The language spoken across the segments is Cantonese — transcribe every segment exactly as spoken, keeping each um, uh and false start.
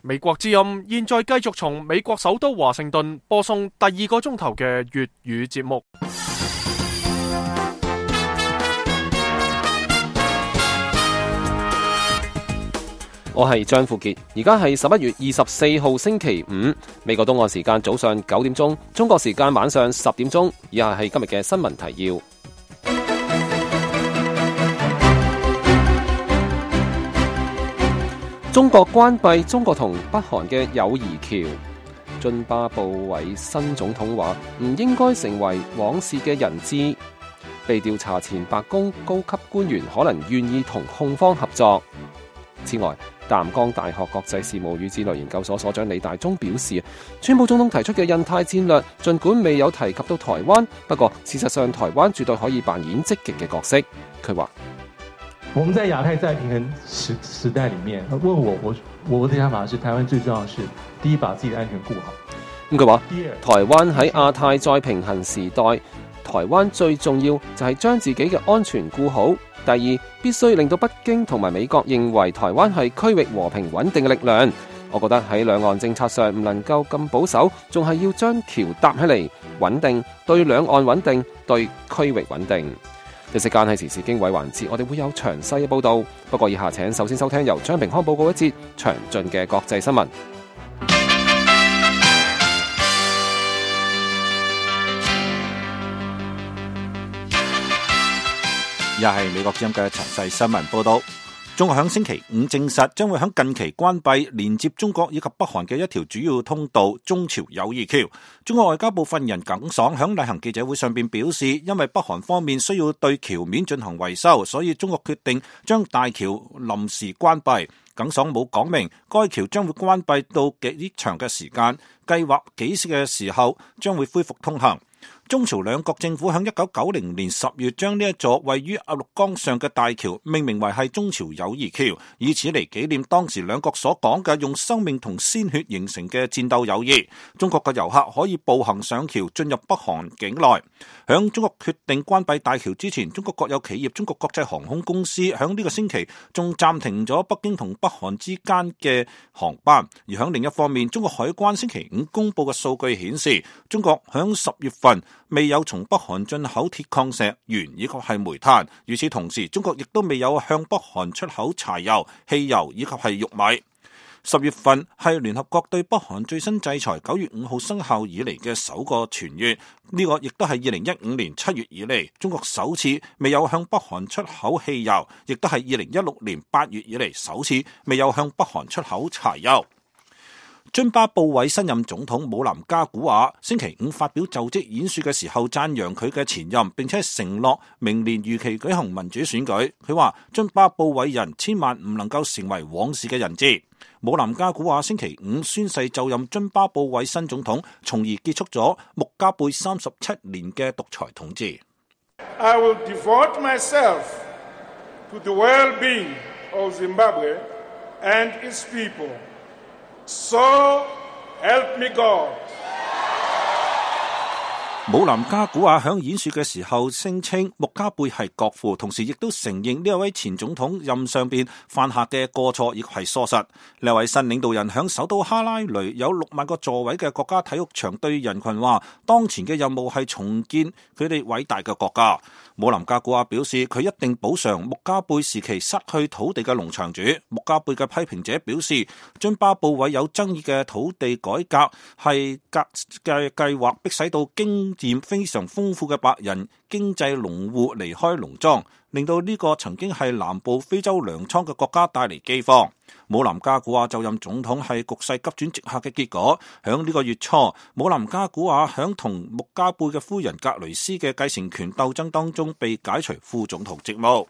美國之音現在繼續從美國首都華盛頓播送第二個鐘頭嘅粵語節目。我係張富傑，而家係十一月二十四號星期五，美國東岸時間早上九點鐘，中國時間晚上十點鐘。以下係今日嘅新聞提要。中國關閉中國同北韓嘅友誼橋。津巴布韋新總統話唔應該成為往事嘅人質。被調查前白宮高級官員可能願意同控方合作。此外，淡江大學國際事務與戰略研究所所長李大忠表示，川普總統提出嘅印太戰略儘管未有提及到台灣，不過事實上台灣絕對可以扮演積極嘅角色。佢話：我們在亞太再平衡時時代裡面，問我我我的想法是，台灣最重要的是第一把自己的安全顧好。咁佢話，台灣喺亞太再平衡時代，台灣最重要就係將自己嘅安全顧好。第二，必須令到北京同埋美國認為台灣係區域和平穩定嘅力量。我覺得喺兩岸政策上唔能夠咁保守，仲係要將橋搭起嚟，穩定對兩岸穩定，對區域穩定。呢時間係時事經緯環節，我哋會有詳細嘅報導。不過以下請首先收聽由張平康報告一節詳盡嘅國際新聞。又係美國之音嘅詳細新聞報道。中國響星期五證實，將會響近期關閉連接中國以及北韓嘅一條主要通道中朝友誼橋。中國外交部發言人耿爽響例行記者會上邊表示，因為北韓方面需要對橋面進行維修，所以中國決定將大橋臨時關閉。耿爽冇講明該橋將會關閉到幾長嘅時間，計劃幾時嘅時候將會恢復通行。中朝兩國政府喺一九九零年十月將呢一座位於鴨綠江上嘅大橋命名為係中朝友誼橋，以此嚟紀念當時兩國所講嘅用生命同鮮血形成嘅戰鬥友誼。中國嘅遊客可以步行上橋進入北韓境內。響中國決定關閉大橋之前，中國國有企業中國國際航空公司響呢個星期仲暫停咗北京同北韓之間嘅航班。而響另一方面，中國海關星期五公布嘅數據顯示，中國響十月份未有從北韓進口鐵礦石、鉛以及係煤炭。與此同時，中國亦都未有向北韓出口柴油、汽油以及係玉米。十月份係聯合國對北韓最新制裁九月五號生效以嚟嘅首個全月，呢個亦都係二零一五年七月以嚟中國首次未有向北韓出口汽油，亦都係二零一六年八月以嚟首次未有向北韓出口柴油。津巴布韋新任總統姆南加古瓦星期五發表就職演說嘅時候讚揚佢嘅前任，並且承諾明年如期舉行民主選舉。佢話津巴布韋人千萬唔能夠成為往事嘅人質。姆南加古瓦星期五宣誓就任津巴布韋新總統，從而結束咗穆加貝三十七年嘅獨裁統治。I will devote myself to the well-being of Zimbabwe and its people.So help me God. 姆南加古瓦響演說嘅時候聲稱穆加貝係國父，同時亦都承認呢一位前總統任上邊犯下嘅過錯亦係疏失。呢位新領導人響首都哈拉雷有六萬個座位嘅國家體育場對人群話，當前嘅任務係重建佢哋偉大嘅國家。姆南加古瓦表示，佢一定補償穆加貝時期失去土地嘅農場主。穆加貝嘅批評者表示，津巴布韋有爭議嘅土地改革係格嘅計劃，迫使到經驗非常豐富嘅白人經濟農戶離開農莊，令到呢個曾經係南部非洲糧倉嘅國家帶嚟饑荒。姆南加古瓦就任總統係局勢急轉直下嘅結果。響呢個月初，姆南加古瓦響同穆加貝嘅夫人格雷斯嘅繼承權鬥爭當中被解除副總統職務。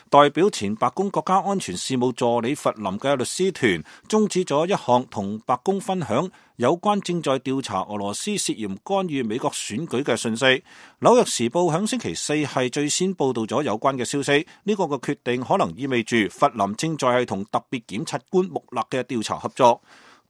代表前白宮國家安全事務助理弗林嘅律師團終止咗一項同白宮分享有關正在調查俄羅斯涉嫌干預美國選舉嘅信息。紐約時報響星期四係最先報道咗有關嘅消息，呢個嘅決定可能意味住弗林正在係同特別檢察官穆勒嘅調查合作。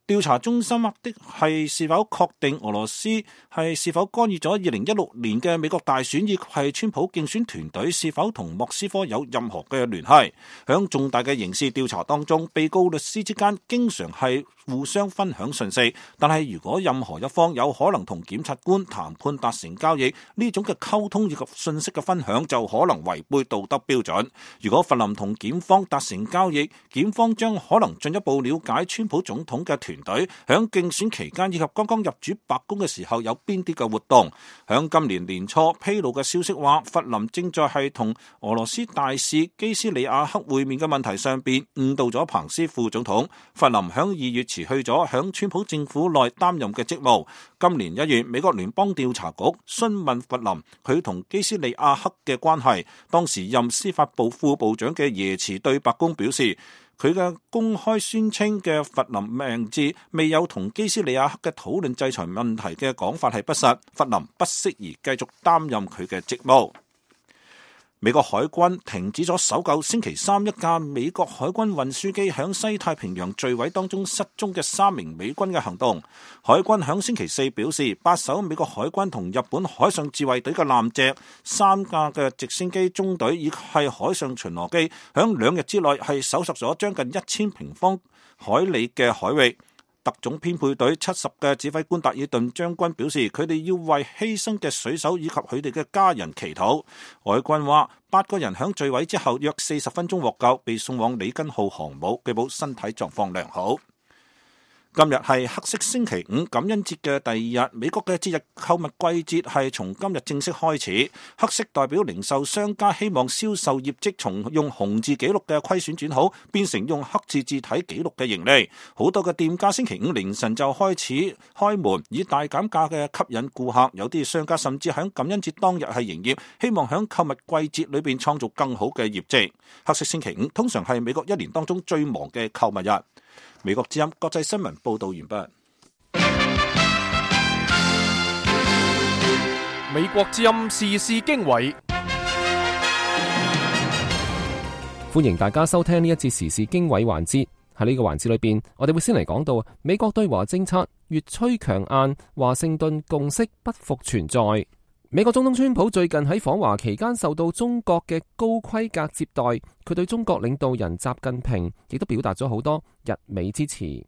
調查中心的係是否確定俄羅斯係是否干預咗二零一六年嘅美國大選，以及係川普競選團隊是否同莫斯科有任何嘅聯繫。響重大嘅刑事調查當中，被告律師之間經常係互相分享信息，但係如果任何一方有可能同檢察官談判達成交易，呢種嘅溝通以及信息嘅分享就可能違背道德標準。如果弗林同檢方達成交易，檢方將可能進一步了解川普總統嘅團隊響競選期間以及剛剛入主白宮嘅時候有邊啲嘅活動。響今年年初披露嘅消息話，弗林正在係同俄羅斯大使基斯里亞克會面嘅問題上邊誤導咗彭斯副總統。弗林響二月辭去咗響川普政府內擔任嘅職務。今年一月，美國聯邦調查局詢問弗林佢同基斯里亞克嘅關係，當時任司法部副部長嘅耶茨對白宮表示，佢嘅公開宣稱嘅弗林名字未有同基斯里亞克嘅討論制裁問題嘅講法係不實，弗林不適宜繼續擔任佢嘅職務。美國海軍停止咗搜救星期三一架美國海軍運輸機響西太平洋墜毀當中失蹤嘅三名美軍嘅行動。海軍響星期四表示，八艘美國海軍同日本海上自衛隊嘅艦隻、三架嘅直升機中隊以及係海上巡邏機，響兩日之內係搜索咗將近一千平方海里嘅海域。特種編配隊七十嘅指揮官達爾頓將軍表示，佢哋要為犧牲嘅水手以及佢哋嘅家人祈禱。海軍話，八個人響墜毀之後約四十分鐘獲救，被送往里根號航母，據報身體狀況良好。今日係黑色星期五，感恩節嘅第二日。美國嘅節日購物季節係從今日正式開始。黑色代表零售商家希望銷售業績從用紅字記錄嘅虧損轉好，變成用黑字字體記錄嘅盈利。好多嘅店家星期五凌晨就開始開門，以大減價嘅吸引顧客。有啲商家甚至喺感恩節當日係營業，希望喺購物季節裏邊創造更好嘅業績。黑色星期五通常係美國一年當中最忙嘅購物日。美國之音國際新聞報道完畢。美國之音時事經緯，歡迎大家收聽呢一節時事經緯環節。喺呢個環節裏邊，我哋會先嚟講到美國對華政策越趨強硬，華盛頓共識不復存在。美國總統川普最近喺訪華期間受到中國嘅高規格接待，佢對中國領導人習近平亦都表達咗好多日美支持。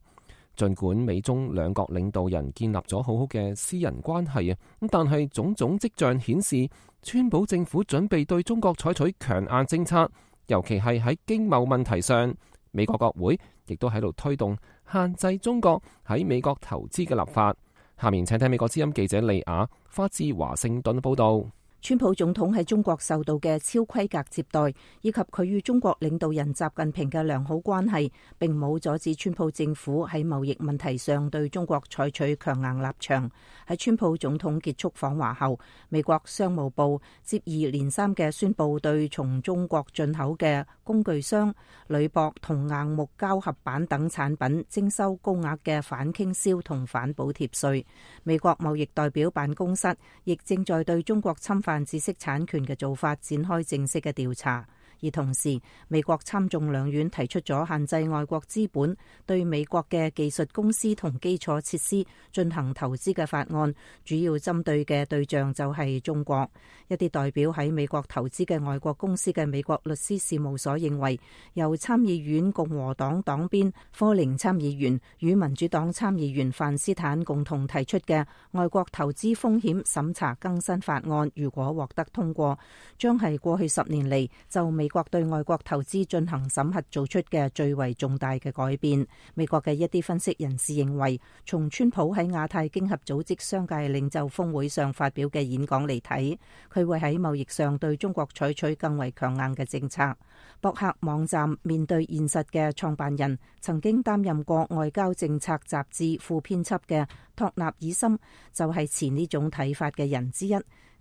盡管美中兩國領導人建立咗好好嘅私人關係啊，咁但係種種跡象顯示，川普政府準備對中國採取強硬政策，尤其係喺經貿問題上。美國國會亦都喺度推動限制中國喺美國投資嘅立法。下面請聽美國之音記者利亞發自華盛頓報道。川普總統喺中國受到嘅超規格接待，以及佢與中國領導人習近平嘅良好關係，並冇阻止川普政府喺貿易問題上對中國採取強硬立場。喺川普總統結束訪華後，美國商務部接二連三嘅宣布對從中國進口嘅工具箱、鋁箔同硬木膠合板等產品徵收高額嘅反傾銷同反補貼稅。美國貿易代表辦公室亦正在對中國侵犯知識產權嘅做法展開正式嘅調查。而同時，美國參眾兩院提出咗限制外國資本對美國嘅技術公司同基礎設施進行投資嘅法案，主要針對嘅對象就係中國。一啲代表喺美國投資嘅外國公司嘅美國律師事務所認為，由參議院共和黨黨鞭科寧參議員與民主黨參議員范斯坦共同提出嘅外國投資風險審查更新法案，如果獲得通過，將係過去十年嚟就美國對外國投資進行審核做出嘅最為重大嘅改變。美國嘅一啲分析人士認為，從川普喺亞太經合組織商界領袖峰會上發表嘅演講嚟睇，佢會喺貿易上對中國採取更為強硬嘅政策。博客網站面對現實嘅創辦人，曾經擔任過外交政策雜誌副編輯嘅托納爾森，就係持呢種睇法嘅人之一。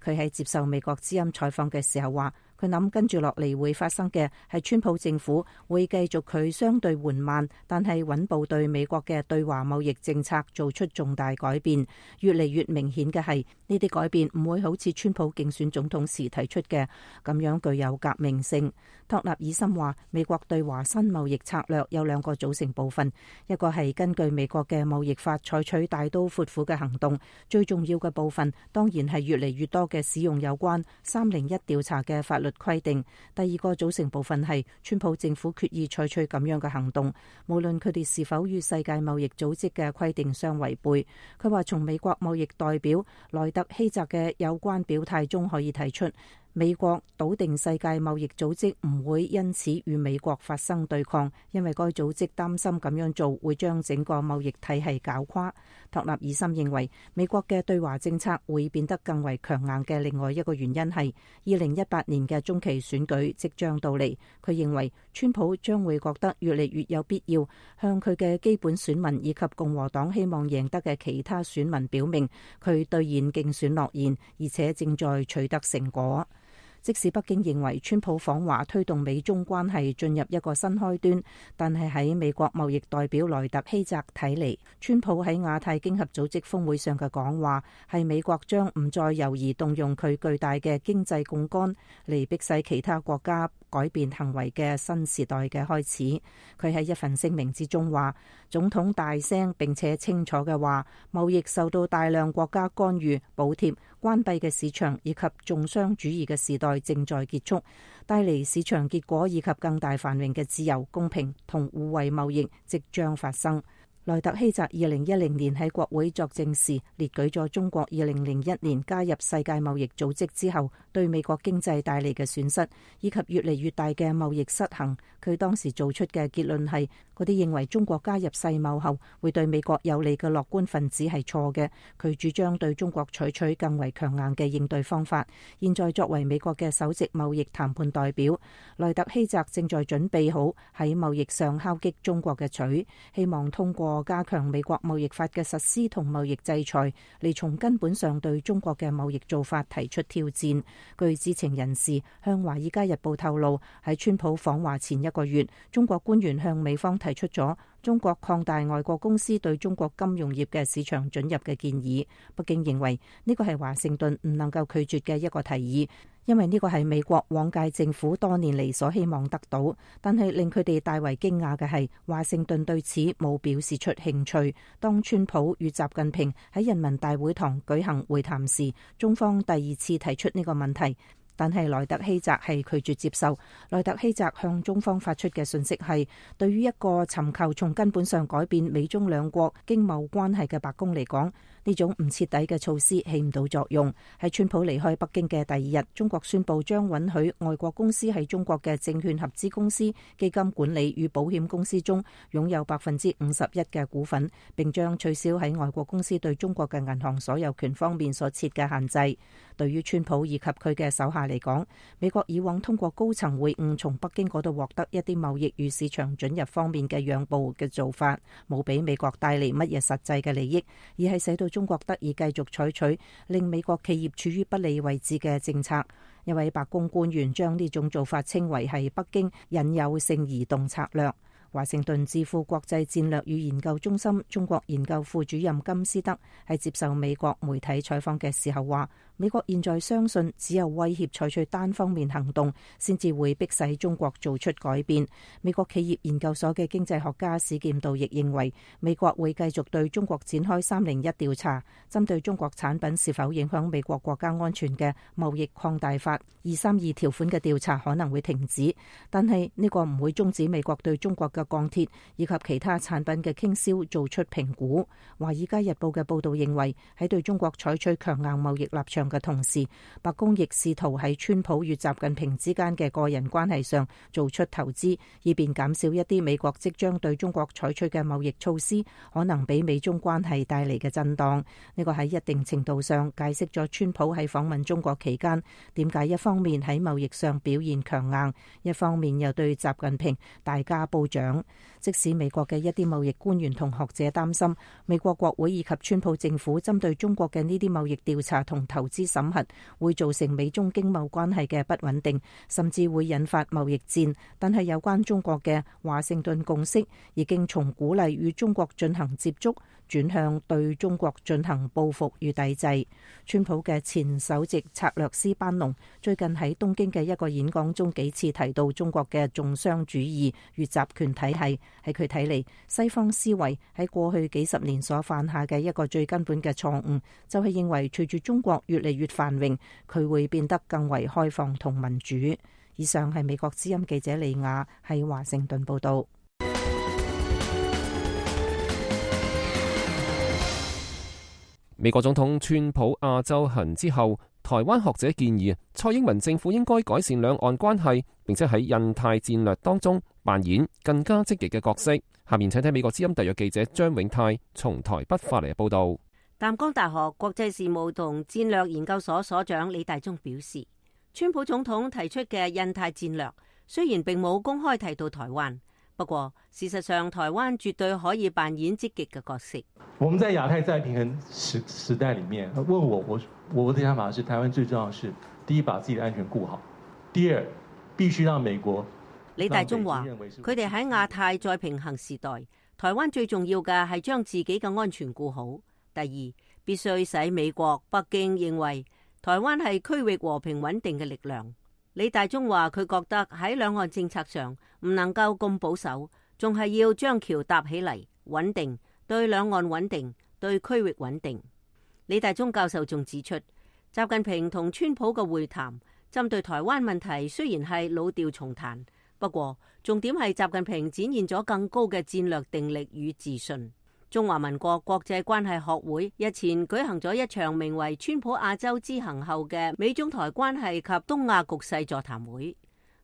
佢喺接受美國之音採訪嘅時候話，佢諗跟住落嚟會發生嘅係川普政府會繼續佢相對緩慢但係穩步對美國嘅對華貿易政策做出重大改變。越嚟越明顯嘅係呢啲改變唔會好似川普競選總統時提出嘅咁樣具有革命性。托納爾森話，美國對華新貿易策略有兩個組成部分，一個係根據美國嘅貿易法採取大刀闊斧嘅行動，最重要嘅部分當然係越嚟越多嘅使用有關三零一調查嘅法律規定。第二個組成部分係川普政府決意採取咁樣嘅行動，無論佢哋是否與世界貿易組織嘅規定相違背。佢話從美國貿易代表萊特希澤嘅有關表態中可以睇出，美國篤定世界貿易組織唔會因此與美國發生對抗，因為該組織擔心咁樣做會將整個貿易體系搞垮。托納爾森認為美國嘅對華政策會變得更為強硬嘅另外一個原因係二零一八年嘅中期選舉即將到嚟。佢認為川普將會覺得越嚟越有必要向佢嘅基本選民以及共和黨希望贏得嘅其他選民表明佢兌現競選諾言，而且正在取得成果。即使北京認為川普訪華推動美中關係進入一個新開端，但係喺美國貿易代表萊特希澤睇嚟，川普喺亞太經合組織峰會上嘅講話係美國將唔再猶豫動用佢巨大嘅經濟槓桿嚟迫使其他國家改變行為嘅新時代嘅開始。佢喺一份聲明之中話，總統大聲並且清楚嘅話，貿易受到大量國家干預、補貼、關閉嘅市場以及重商主義嘅時代正在結束，帶嚟市場結果以及更大繁榮嘅自由、公平同互惠貿易即將發生。萊特希澤二零一零年喺國會作證時列舉咗中國二零零一年加入世界貿易組織之後對美國經濟帶嚟嘅損失，以及越嚟越大嘅貿易失衡。佢當時做出嘅結論係，嗰啲認為中國加入世貿後會對美國有利嘅樂觀分子係錯嘅。佢主張對中國採取更為強硬嘅應對方法。現在作為美國嘅首席貿易談判代表，萊特希澤正在準備好喺貿易上敲擊中國嘅錘，希望通過加強美國貿易法嘅實施同貿易制裁，嚟從根本上對中國嘅貿易做法提出挑戰。據知情人士向《華爾街日報》透露，喺川普訪華前一個月，中國官員向美方提出咗中國擴大外國公司對中國金融業嘅市場准入嘅建議。北京認為呢個係華盛頓唔能夠拒絕嘅一個提議，因為呢個係美國往屆政府多年嚟所希望得到。但係令佢哋大為驚訝嘅係，華盛頓對此冇表示出興趣。當川普與習近平喺人民大會堂舉行會談時，中方第二次提出呢個問題，但係萊特希澤係拒絕接受。萊特希澤向中方發出嘅信息係，對於一個尋求從根本上改變美中兩國經貿關係嘅白宮嚟講，呢種唔徹底嘅措施起唔到作用。喺川普離開北京嘅第二日，中國宣布將允許外國公司喺中國嘅證券合資公司、基金管理與保險公司中擁有百分之五十一嘅股份，並將取消喺外國公司對中國嘅銀行所有權方面所設嘅限制。對於川普以及佢嘅手下嚟講，美國以往通過高層會晤從北京嗰度獲得一啲貿易與市場准入方面嘅讓步嘅做法，冇俾美國帶嚟乜嘢實際嘅利益，而係使到中國得以繼續採取令美國企業處於不利位置嘅政策。一位白宮官員將呢種做法稱為係北京引誘性移動策略。華盛頓智庫國際戰略與研究中心中國研究副主任金斯德喺接受美國媒體採訪嘅時候話，美國現在相信只有威脅採取單方面行動，先至會迫使中國做出改變。美國企業研究所嘅經濟學家史劍道亦認為，美國會繼續對中國展開三零一調查，針對中國產品是否影響美國國家安全嘅貿易擴大法二三二條款嘅調查可能會停止，但係呢個唔會終止美國對中國嘅鋼鐵以及其他產品嘅傾銷做出評估。華爾街日報嘅報道認為，喺對中國採取強硬貿易立場嘅同時，白宮亦試圖喺川普與習近平之間嘅個人關係上做出投資，以便減少一啲美國即將對中國採取嘅貿易措施可能俾美中關係帶嚟嘅震盪。呢個喺一定程度上解釋咗川普喺訪問中國期間點解一方面喺貿易上表現強硬，一方面又對習近平大加褒獎。即使美國嘅一啲貿易官員同學者擔心美國國會以及川普政府針對中國嘅呢啲貿易調查同投資資審核，會造成美中經貿關係嘅不穩定，甚至會引發貿易戰。但係有關中國嘅華盛頓共識已經從鼓勵與中國進行接觸，轉向對中國進行報復與抵制。川普嘅前首席策略師班農最近喺東京嘅一個演講中幾次提到中國嘅重商主義與集權體系。喺佢睇嚟，西方思維喺過去幾十年所犯下嘅一個最根本嘅錯誤，就係認為隨住中國越嚟越繁榮，佢會變得更為開放同民主。以上係美國之音記者李雅喺華盛頓報道。美國總統川普亞洲行之後，台灣學者建議蔡英文政府應該改善兩岸關係，並且喺印太戰略當中扮演更加積極嘅角色。下面請睇美國之音特約記者張永泰從台北發嚟嘅報道。淡江大學國際事務同戰略研究所所長李大中表示，川普總統提出嘅印太戰略雖然並冇公開提到台灣，不過事實上台灣絕對可以扮演積極嘅角色。我們在亞太再平衡時時代裡面，問我我我的想法是，台灣最重要的是第一把自己的安全顧好，第二必須讓美國。李大中話：佢哋喺亞太再平衡時代，台灣最重要嘅係將自己嘅安全顧好。第二，必須使美國、北京認為台灣係區域和平穩定嘅力量。李大中話：佢覺得喺兩岸政策上唔能夠咁保守，仲係要將橋搭起嚟，穩定。對兩岸穩定，對區域穩定。李大中教授仲指出，習近平同川普嘅會談針對台灣問題雖然係老調重彈，不過重點係習近平展現咗更高嘅戰略定力與自信。中華民國國際關係學會日前舉行咗一場名為川普亞洲之行後嘅美中台關係及東亞局勢座談會。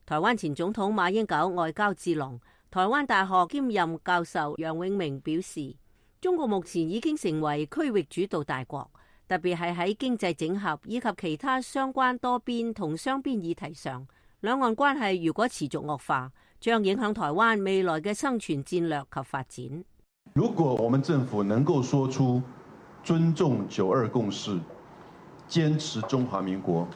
台灣前總統馬英九外交智囊、台灣大學兼任教授楊永明表示，中國目前已經成為區域主導大國，特別係喺經濟整合以及其他相關多邊同雙邊議題上，兩岸關係如果持續惡化，將影響台灣未來嘅生存戰略及發展。如果我們政府能夠說出尊重九二共識、堅持中華民國，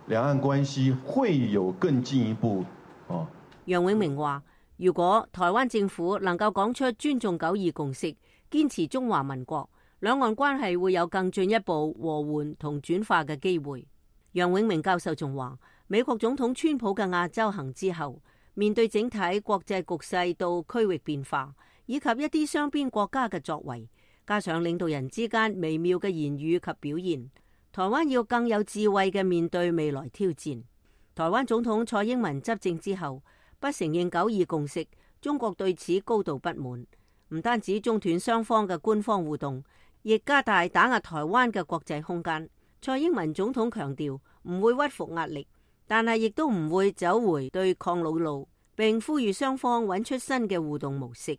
兩岸關係會有更進一步。哦，楊永明話：如果台灣政府能夠講出尊重九二共識，堅持中華民國，兩岸關係會有更進一步和緩同轉化嘅機會。楊永明教授仲話，美國總統川普嘅亞洲行之後，面對整體國際局勢到區域變化，以及一啲雙邊國家嘅作為，加上領導人之間微妙嘅言語及表現，台灣要更有智慧嘅面對未來挑戰。台灣總統蔡英文執政之後，不承認九二共識，中國對此高度不滿。唔單止中斷雙方嘅官方互動，亦加大打壓台灣嘅國際空間。蔡英文總統強調唔會屈服壓力，但係亦都唔會走回對抗老路，並呼籲雙方揾出新嘅互動模式。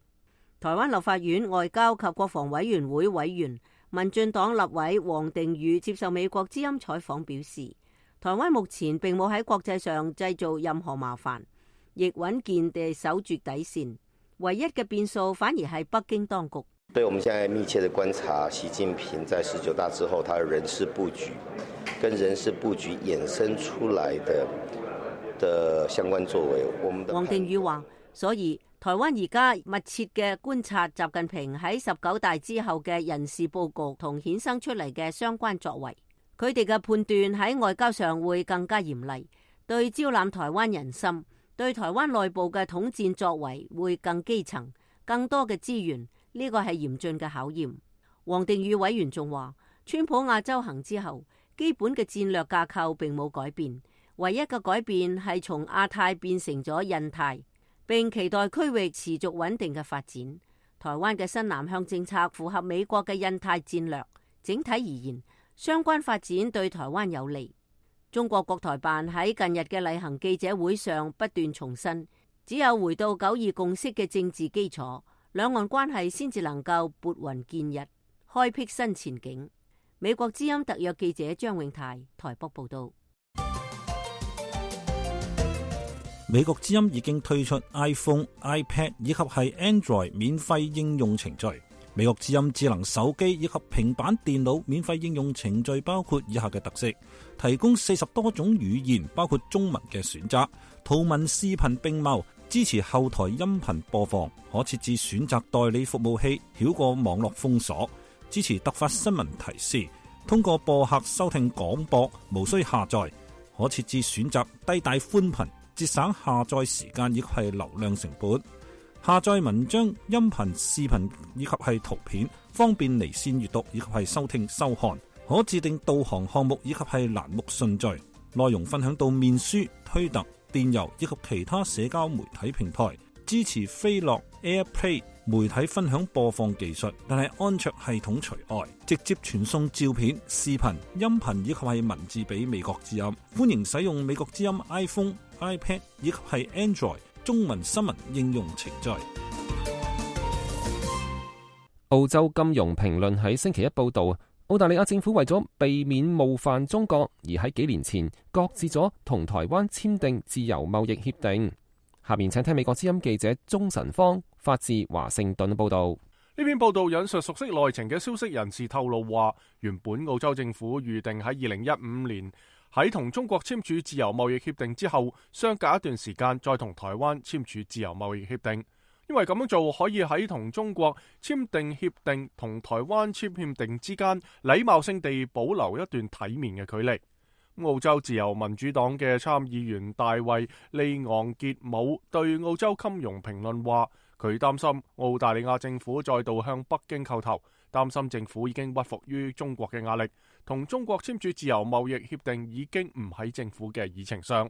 台灣立法院外交及國防委員會委員、民進黨立委王定宇接受美國之音採訪表示，台灣目前並冇喺國際上製造任何麻煩，亦穩健地守住底線。唯一嘅變數反而係北京當局。對，我們現在密切的觀察習近平在十九大之後，他的人事佈局跟人事佈局衍生出來的的相關作為。我們的王定宇話，所以台灣而家密切嘅觀察習近平喺十九大之後嘅人事佈局同衍生出嚟嘅相關作為，佢哋嘅判斷喺外交上會更加嚴厲，對招攬台灣人心，對台灣內部嘅統戰作為會更基層，更多嘅資源，呢個係嚴峻嘅考驗。王定宇委員仲話，川普亞洲行之後，基本嘅戰略架構並冇改變，唯一嘅改變係從亞太變成咗印太，並期待區域持續穩定嘅發展。台灣嘅新南向政策符合美國嘅印太戰略，整體而言，相關發展對台灣有利。中國國台辦喺近日嘅例行記者會上不斷重申，只有回到九二共識嘅政治基礎，兩岸關係先至能夠撥雲見日，開闢新前景。美國之音特約記者張永泰台北報道。美國之音已經推出 iPhone、iPad 以及係 Android 免費應用程序。美國之音智能手機以及平板電腦免費應用程序包括以下嘅特色：提供四十多種語言，包括中文嘅選擇，圖文視頻並茂，支持後台音頻播放，可設置選擇代理服務器，繞過網絡封鎖，支持突發新聞提示，通過播客收聽廣播，無需下載，可設置選擇低帶寬頻，節省下載時間以及係流量成本。下載文章、音頻、視頻以及係圖片，方便離線閱讀以及係收聽收看。可自定導航項目以及係欄目順序。內容分享到面書、推特、電郵以及其他社交媒體平台。支持飛樂 AirPlay 媒體分享播放技術，但係安卓系統除外。直接傳送照片、視頻、音頻以及係文字俾美國之音。歡迎使用美國之音 iPhone、iPad 以及係 Android中文新聞應用程序。澳洲金融評論喺星期一報道，澳大利亞政府為咗避免冒犯中國，而喺幾年前擱置咗同台灣簽訂自由貿易協定。下面請聽美國之音記者鍾晨芳發自華盛頓報道。呢篇報道引述熟悉內情嘅消息人士透露話，原本澳洲政府預定喺二零一五年喺同中國簽署自由貿易協定之後，相隔一段時間再同台灣簽署自由貿易協定，因為咁樣做可以喺同中國簽訂協定同台灣簽協定之間禮貌性地保留一段體面嘅距離。澳洲自由民主黨嘅參議員大衛利昂傑姆對澳洲金融評論話，佢擔心澳大利亞政府再度向北京叩頭，擔心政府已經屈服於中國嘅壓力，同中國簽署自由貿易協定已經唔喺政府嘅議程上。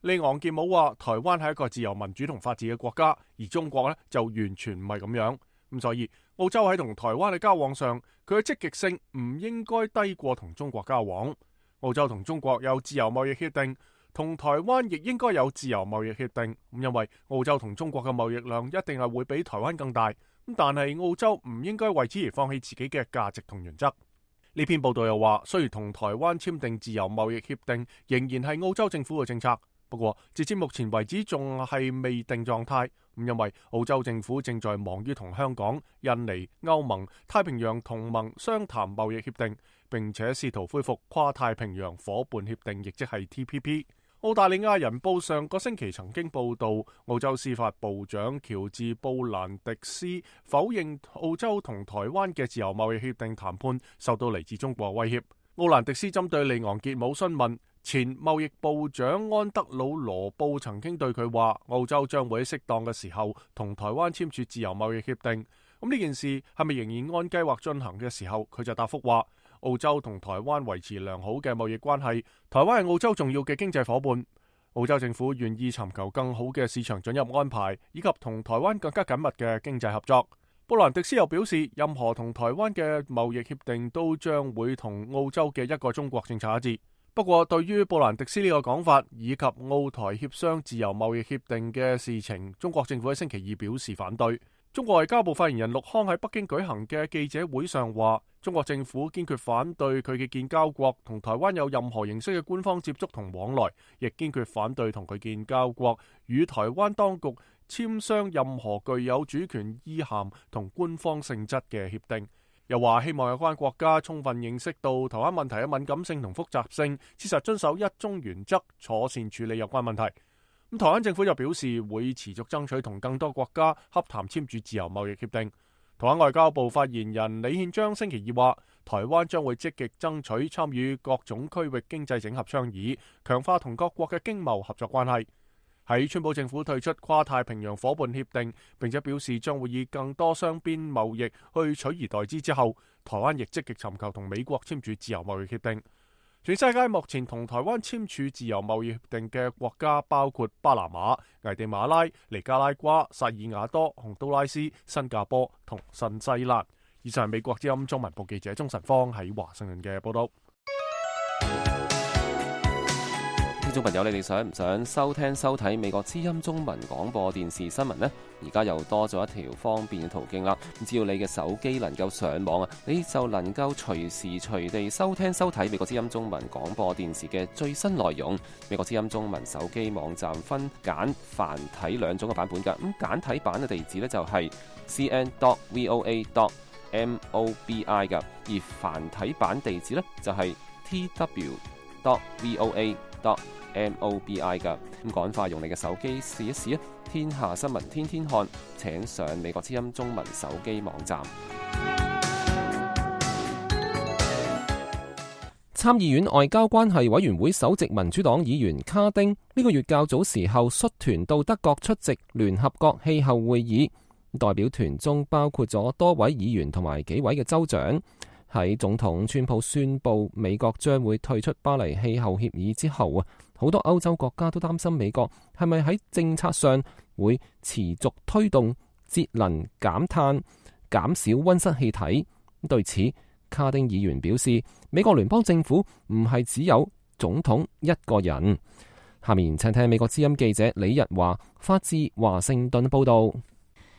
利昂傑姆話，台灣係一個自由民主同法治嘅國家，而中國呢就完全唔係咁樣，咁所以澳洲喺同台灣嘅交往上，佢嘅積極性唔應該低過同中國交往。澳洲同中國有自由貿易協定，同台灣亦應該有自由貿易協定，咁因為澳洲同中國嘅貿易量一定係會比台灣更大，咁但係澳洲唔應該為此而放棄自己嘅價值同原則。呢篇報道又話，雖然同台灣簽訂自由貿易協定仍然係澳洲政府嘅政策，不過截至目前為止仲係未定狀態，咁因為澳洲政府正在忙於同香港、印尼、歐盟、太平洋同盟商談貿易協定，並且試圖恢復跨太平洋夥伴協定，亦即係 T P P。澳大利亞人報上個星期曾經報道，澳洲司法部長喬治布蘭迪斯否認澳洲同台灣嘅自由貿易協定談判受到嚟自中國威脅。奧蘭迪斯針對利昂傑姆詢問，前貿易部長安德魯羅布曾經對佢話，澳洲將會喺適當嘅時候同台灣簽署自由貿易協定。咁呢件事係咪仍然按計劃進行嘅時候，佢就答覆話，澳洲同台灣維持良好嘅貿易關係，台灣係澳洲重要嘅經濟夥伴。澳洲政府願意尋求更好嘅市場准入安排，以及同台灣更加緊密嘅經濟合作。布蘭迪斯又表示，任何同台灣嘅貿易協定都將會同澳洲嘅一個中國政策一致。不過，對於布蘭迪斯呢個講法，以及澳台協商自由貿易協定嘅事情，中國政府喺星期二表示反對。中國外交部發言人陸康喺北京舉行嘅記者會上話，中國政府堅決反對佢嘅建交國同台灣有任何形式嘅官方接觸同往來，亦堅決反對同佢建交國與台灣當局簽商任何具有主權意涵同官方性質嘅協定。又話希望有關國家充分認識到台灣問題嘅敏感性同複雜性，切實遵守一中原則，妥善處理有關問題。咁台灣政府就表示會持續爭取同更多國家洽談簽署自由貿易協定。台灣外交部發言人李憲章星期二話，台灣將會積極爭取參與各種區域經濟整合倡議，強化同各國嘅經貿合作關係。喺川普政府退出跨太平洋夥伴協定，並且表示將會以更多雙邊貿易去取而代之之後，台灣亦積極尋求同美國簽署自由貿易協定。全世界目前同台灣簽署自由貿易協定嘅國家包括巴拿馬、危地馬拉、尼加拉瓜、薩爾瓦多、洪都拉斯、新加坡同新西蘭。以上係美國之音中文部記者鍾晨芳喺華盛頓嘅報道。眾朋友，你哋想唔想收聽收睇美國之音中文廣播電視新聞呢？而家又多咗一條方便嘅途徑啦。只要你嘅手機能夠上網啊，你就能夠隨時隨地收聽收睇美國之音中文廣播電視嘅最新內容。美國之音中文手機網站分簡繁體兩種嘅版本㗎。咁簡體版嘅地址呢，就係 c n dot voa dot mobi 㗎，而繁體版地址呢，就係 t w dot voa dot mobi 㗎。咁趕快用你嘅手機試一試啊！天下新聞天天看，請上美國之音中文手機網站。參議院外交關係委員會首席民主黨議員卡丁呢個月較早時候率團到德國出席聯合國氣候會議，代表團中包括咗多位議員同埋幾位嘅州長。喺總統川普宣布美國將會退出巴黎氣候協議之後啊，好多歐洲國家都擔心美國係咪喺政策上會持續推動節能減碳、減少溫室氣體。對此，卡丁議員表示，美國聯邦政府唔係只有總統一個人。下面請聽美國之音記者李日華發自華盛頓報道。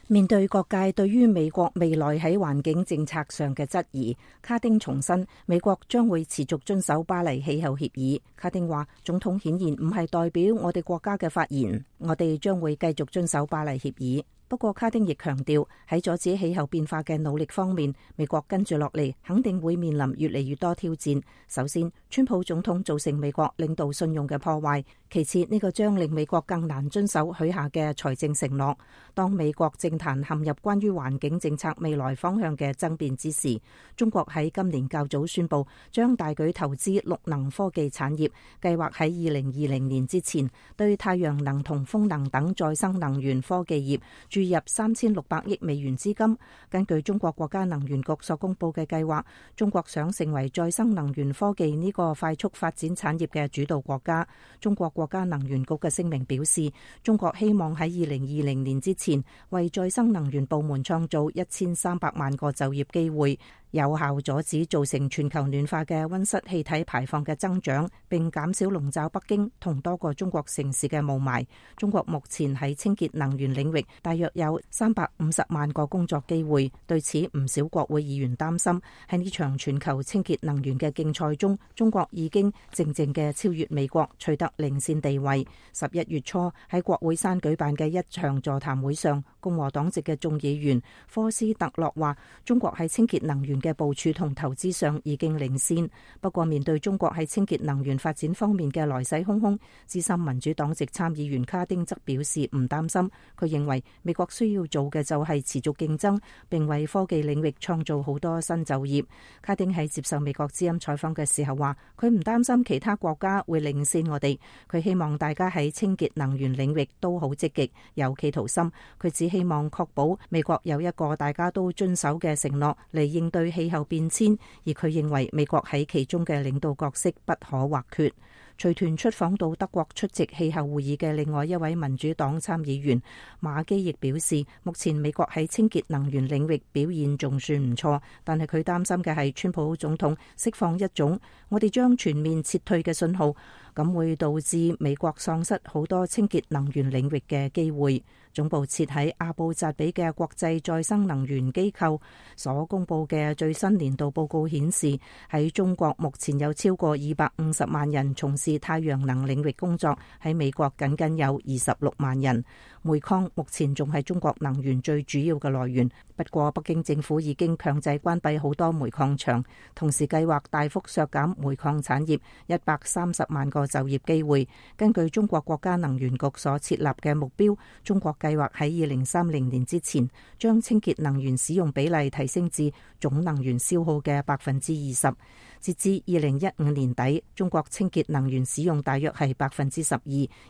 面對各界對於美國未來喺環境政策上嘅質疑，卡丁重申美國將會持續遵守巴黎氣候協議。卡丁話，總統顯然唔係代表我哋國家嘅發言，我哋將會繼續遵守巴黎協議。不過卡丁亦強調喺阻止氣候變化嘅努力方面，美國跟住落嚟肯定會面臨越嚟越多挑戰。首先，川普總統造成美國領導信用嘅破壞，其次呢個將令美國更難遵守許下嘅財政承諾。當美國政壇陷入關於環境政策未來方向嘅爭辯之時，中國喺今年較早宣布將大舉投資綠能科技產業，計劃喺二零二零年之前對太陽能同風能等再生能源科技業注入三千六百億美元資金。根據中國國家能源局所公布嘅計劃，中國想成為再生能源科技呢個快速發展產業嘅主導國家。中國國家能源局嘅聲明表示，中國希望喺二零二零年之前為再生能源部門創造一千三百萬個就業機會，有效阻止造成全球暖化嘅溫室氣體排放嘅增長，並減少籠罩北京同多個中國城市嘅霧霾。中國目前喺清潔能源領域大約有三百五十萬個工作機會。對此，唔少國會議員擔心喺呢場全球清潔能源嘅競賽中，中國已經靜靜嘅超越美國，取得領先地位。十一月初喺國會山舉辦嘅一場座談會上，共和黨籍嘅眾議員科斯特洛話，中國喺清潔能源嘅部署同投資上已經領先。不過面對中國喺清潔能源發展方面嘅來勢洶洶，資深民主黨籍參議員卡丁則表示唔擔心。佢認為美國需要做嘅就係持續競爭，並為科技領域創造好多新就業。卡丁喺接受美國之音採訪嘅時候話，佢唔擔心其他國家會領先我哋，佢希望大家喺清潔能源領域都好積極，有企圖心。佢只希望確保美國有一個大家都遵守嘅承諾嚟應對氣候變遷，而佢認為美國喺其中嘅領導角色不可或缺。隨團出訪到德國出席氣候會議嘅另外一位民主黨參議員馬基亦表示，目前美國喺清潔能源領域表現仲算唔錯，但係佢擔心嘅係川普總統釋放一種我哋將全面撤退嘅信號，咁會導致美國喪失好多清潔能源領域嘅機會。總部設喺阿布扎比嘅國際再生能源機構所公布嘅最新年度報告顯示，喺中國目前有超過二百五十萬人從事太陽能領域工作，喺美國僅僅有二十六萬人。煤礦目前仲係中國能源最主要嘅來源，不過北京政府已經強制關閉好多煤礦場，同時計劃大幅削減煤礦產業一百三十萬個就業機會。根據中國國家能源局所設立嘅目標，中國計劃喺二零三零年之前，將清潔能源使用比例提升至總能源消耗嘅百分之二十。截至二零一五年底，中國清潔能源使用大約係百分之十二，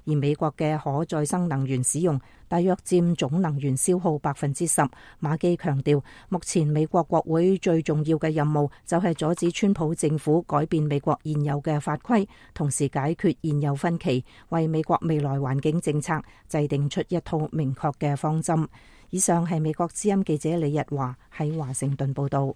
而美國嘅可再生能源使用大約佔總能源消耗百分之十。馬基強調，目前美國國會最重要嘅任務就係阻止川普政府改變美國現有嘅法規，同時解決現有分歧，為美國未來環境政策制定出一套明確嘅方針。以上係美國之音記者李日華喺華盛頓報道。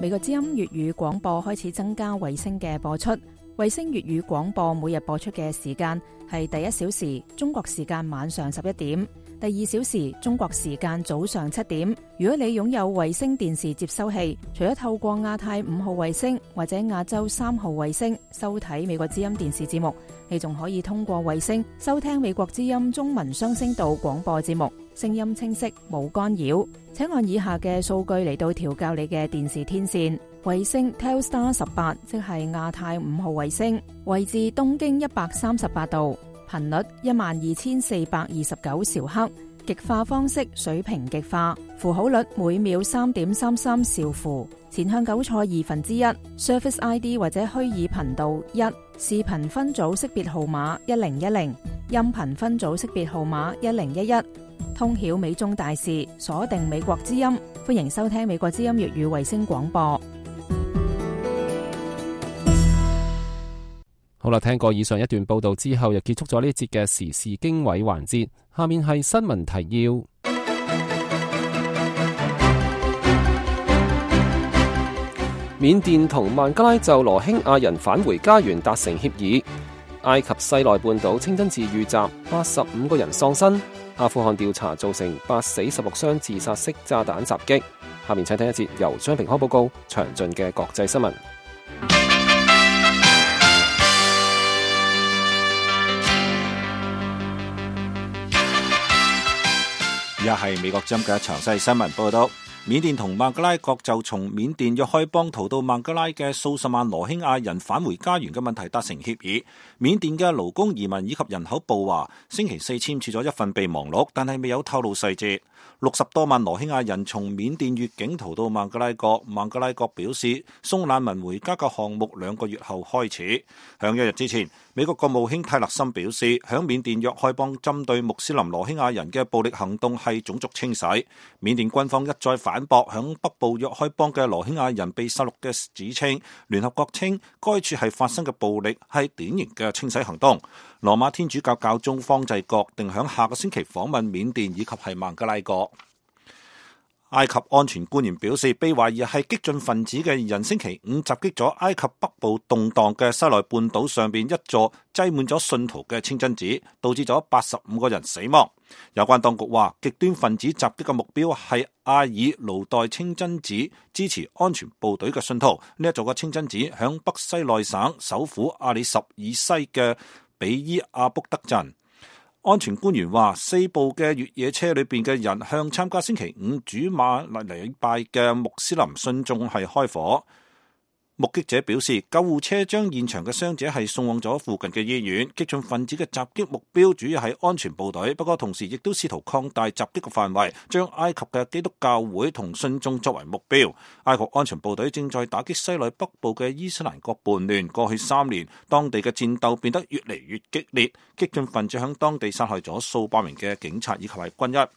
美國之音粵語廣播開始增加衛星嘅播出。衛星粵語廣播每日播出嘅時間係第一小時中國時間晚上十一點，第二小時中國時間早上七點。如果你擁有衛星電視接收器，除咗透過亞太五號衛星或者亞洲三號衛星收睇美國之音電視節目，你仲可以通過衛星收聽美國之音中文雙聲道廣播節目，聲音清晰冇干擾。請按以下嘅數據嚟到調校你嘅電視天線。衛星 Telstar 十八，即係亞太五號衛星，位置東經一百三十八度，頻率一萬二千四百二十九兆赫，極化方式水平極化，符號率每秒三點三三兆符，前向糾錯二分之一 ，Surface I D 或者虛擬頻道一，視頻分組識別號碼一零一零，音頻分組識別號碼一零一一。通曉美中大事，鎖定美國之音，歡迎收聽美國之音粵語衛星廣播。好啦，聽過以上一段報道之後，又結束咗呢節嘅時事經緯環節。下面係新聞提要。緬甸同孟加拉就羅興亞人返回家園達成協議。埃及西奈半島清真寺遇襲，八十五個人喪生。阿富汗調查造成八死十六傷自殺式炸彈襲擊。下面請聽一節由張平康報告詳盡嘅國際新聞。而家係美國之音嘅詳細新聞報道。緬甸同孟加拉國就從緬甸若開邦逃到孟加拉嘅數十萬羅興亞人返回家園嘅問題達成協議。緬甸嘅勞工移民以及人口部話，星期四簽署咗一份備忘錄，但係未有透露細節。六十多萬羅興亞人從緬甸越境逃到孟加拉國，孟加拉國表示送難民回家嘅項目兩個月後開始。響一日之前，美國國務卿泰勒森表示，響緬甸若開邦針對穆斯林羅興亞人嘅暴力行動係種族清洗。緬甸軍方一再反反駁響北部若開邦嘅羅興亞人被殺戮嘅指稱，聯合國稱該處係發生嘅暴力係典型嘅清洗行動。羅馬天主教教宗方濟各定響下個星期訪問緬甸以及係孟加拉國。埃及安全官員表示，被懷疑係激進分子嘅人星期五襲擊咗埃及北部動盪嘅西奈半島上邊一座擠滿咗信徒嘅清真寺，導致咗八十五個人死亡。有關當局話，極端分子襲擊嘅目標係阿爾盧代清真寺支持安全部隊嘅信徒。呢一座嘅清真寺響北西奈省首府阿里什以西嘅比伊阿卜德鎮。安全官員話，四部嘅越野車裏邊嘅人向參加星期五主馬禮拜嘅穆斯林信眾係開火。目擊者表示，救護車將現場嘅傷者係送往咗附近嘅醫院。激進分子嘅襲擊目標主要係安全部隊，不過同時亦都試圖擴大襲擊嘅範圍，將埃及嘅基督教會同信眾作為目標。埃及安全部隊正在打擊西奈北部嘅伊斯蘭國叛亂。過去三年，當地嘅戰鬥變得越嚟越激烈，激進分子響當地殺害咗數百名嘅警察以及係軍醫。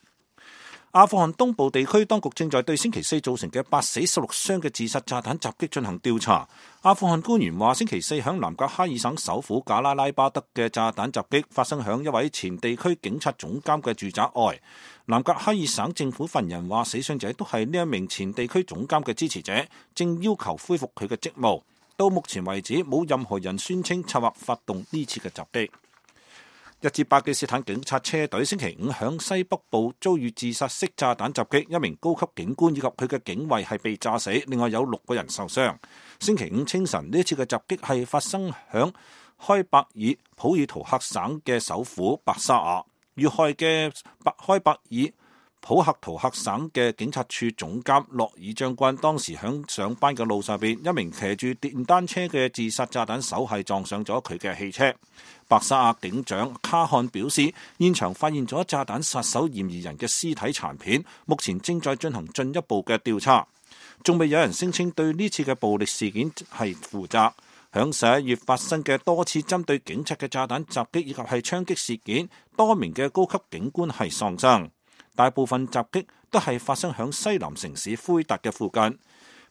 阿富汗東部地區當局正在對星期四造成嘅八死十六傷嘅自殺炸彈襲擊進行調查。阿富汗官員話，星期四響南格哈爾省首府賈拉拉巴德嘅炸彈襲擊發生響一位前地區警察總監嘅住宅外。南格哈爾省政府發言人話，死傷者都係呢一名前地區總監嘅支持者，正要求恢復佢嘅職務。到目前為止，冇任何人宣稱策劃發動呢次嘅襲擊。一支巴基斯坦警察車隊星期五響西北部遭遇自殺式炸彈襲擊，一名高級警官以及佢嘅警衛係被炸死，另外有六個人受傷。星期五清晨，呢一次嘅襲擊係發生響開伯爾普爾圖克省嘅首府白沙瓦。遇害嘅白開伯爾普克圖克省嘅警察處總監洛爾將軍當時響上班嘅路上邊，一名騎住電單車嘅自殺炸彈手係撞上咗佢嘅汽車。白沙瓦警長卡漢表示，現場發現咗炸彈殺手嫌疑人嘅屍體殘片，目前正在進行進一步嘅調查。仲未有人聲稱對呢次嘅暴力事件係負責。響十一月發生嘅多次針對警察嘅炸彈襲擊以及係槍擊事件，多名嘅高級警官係喪生。大部分襲擊都係發生響西南城市奎達嘅附近。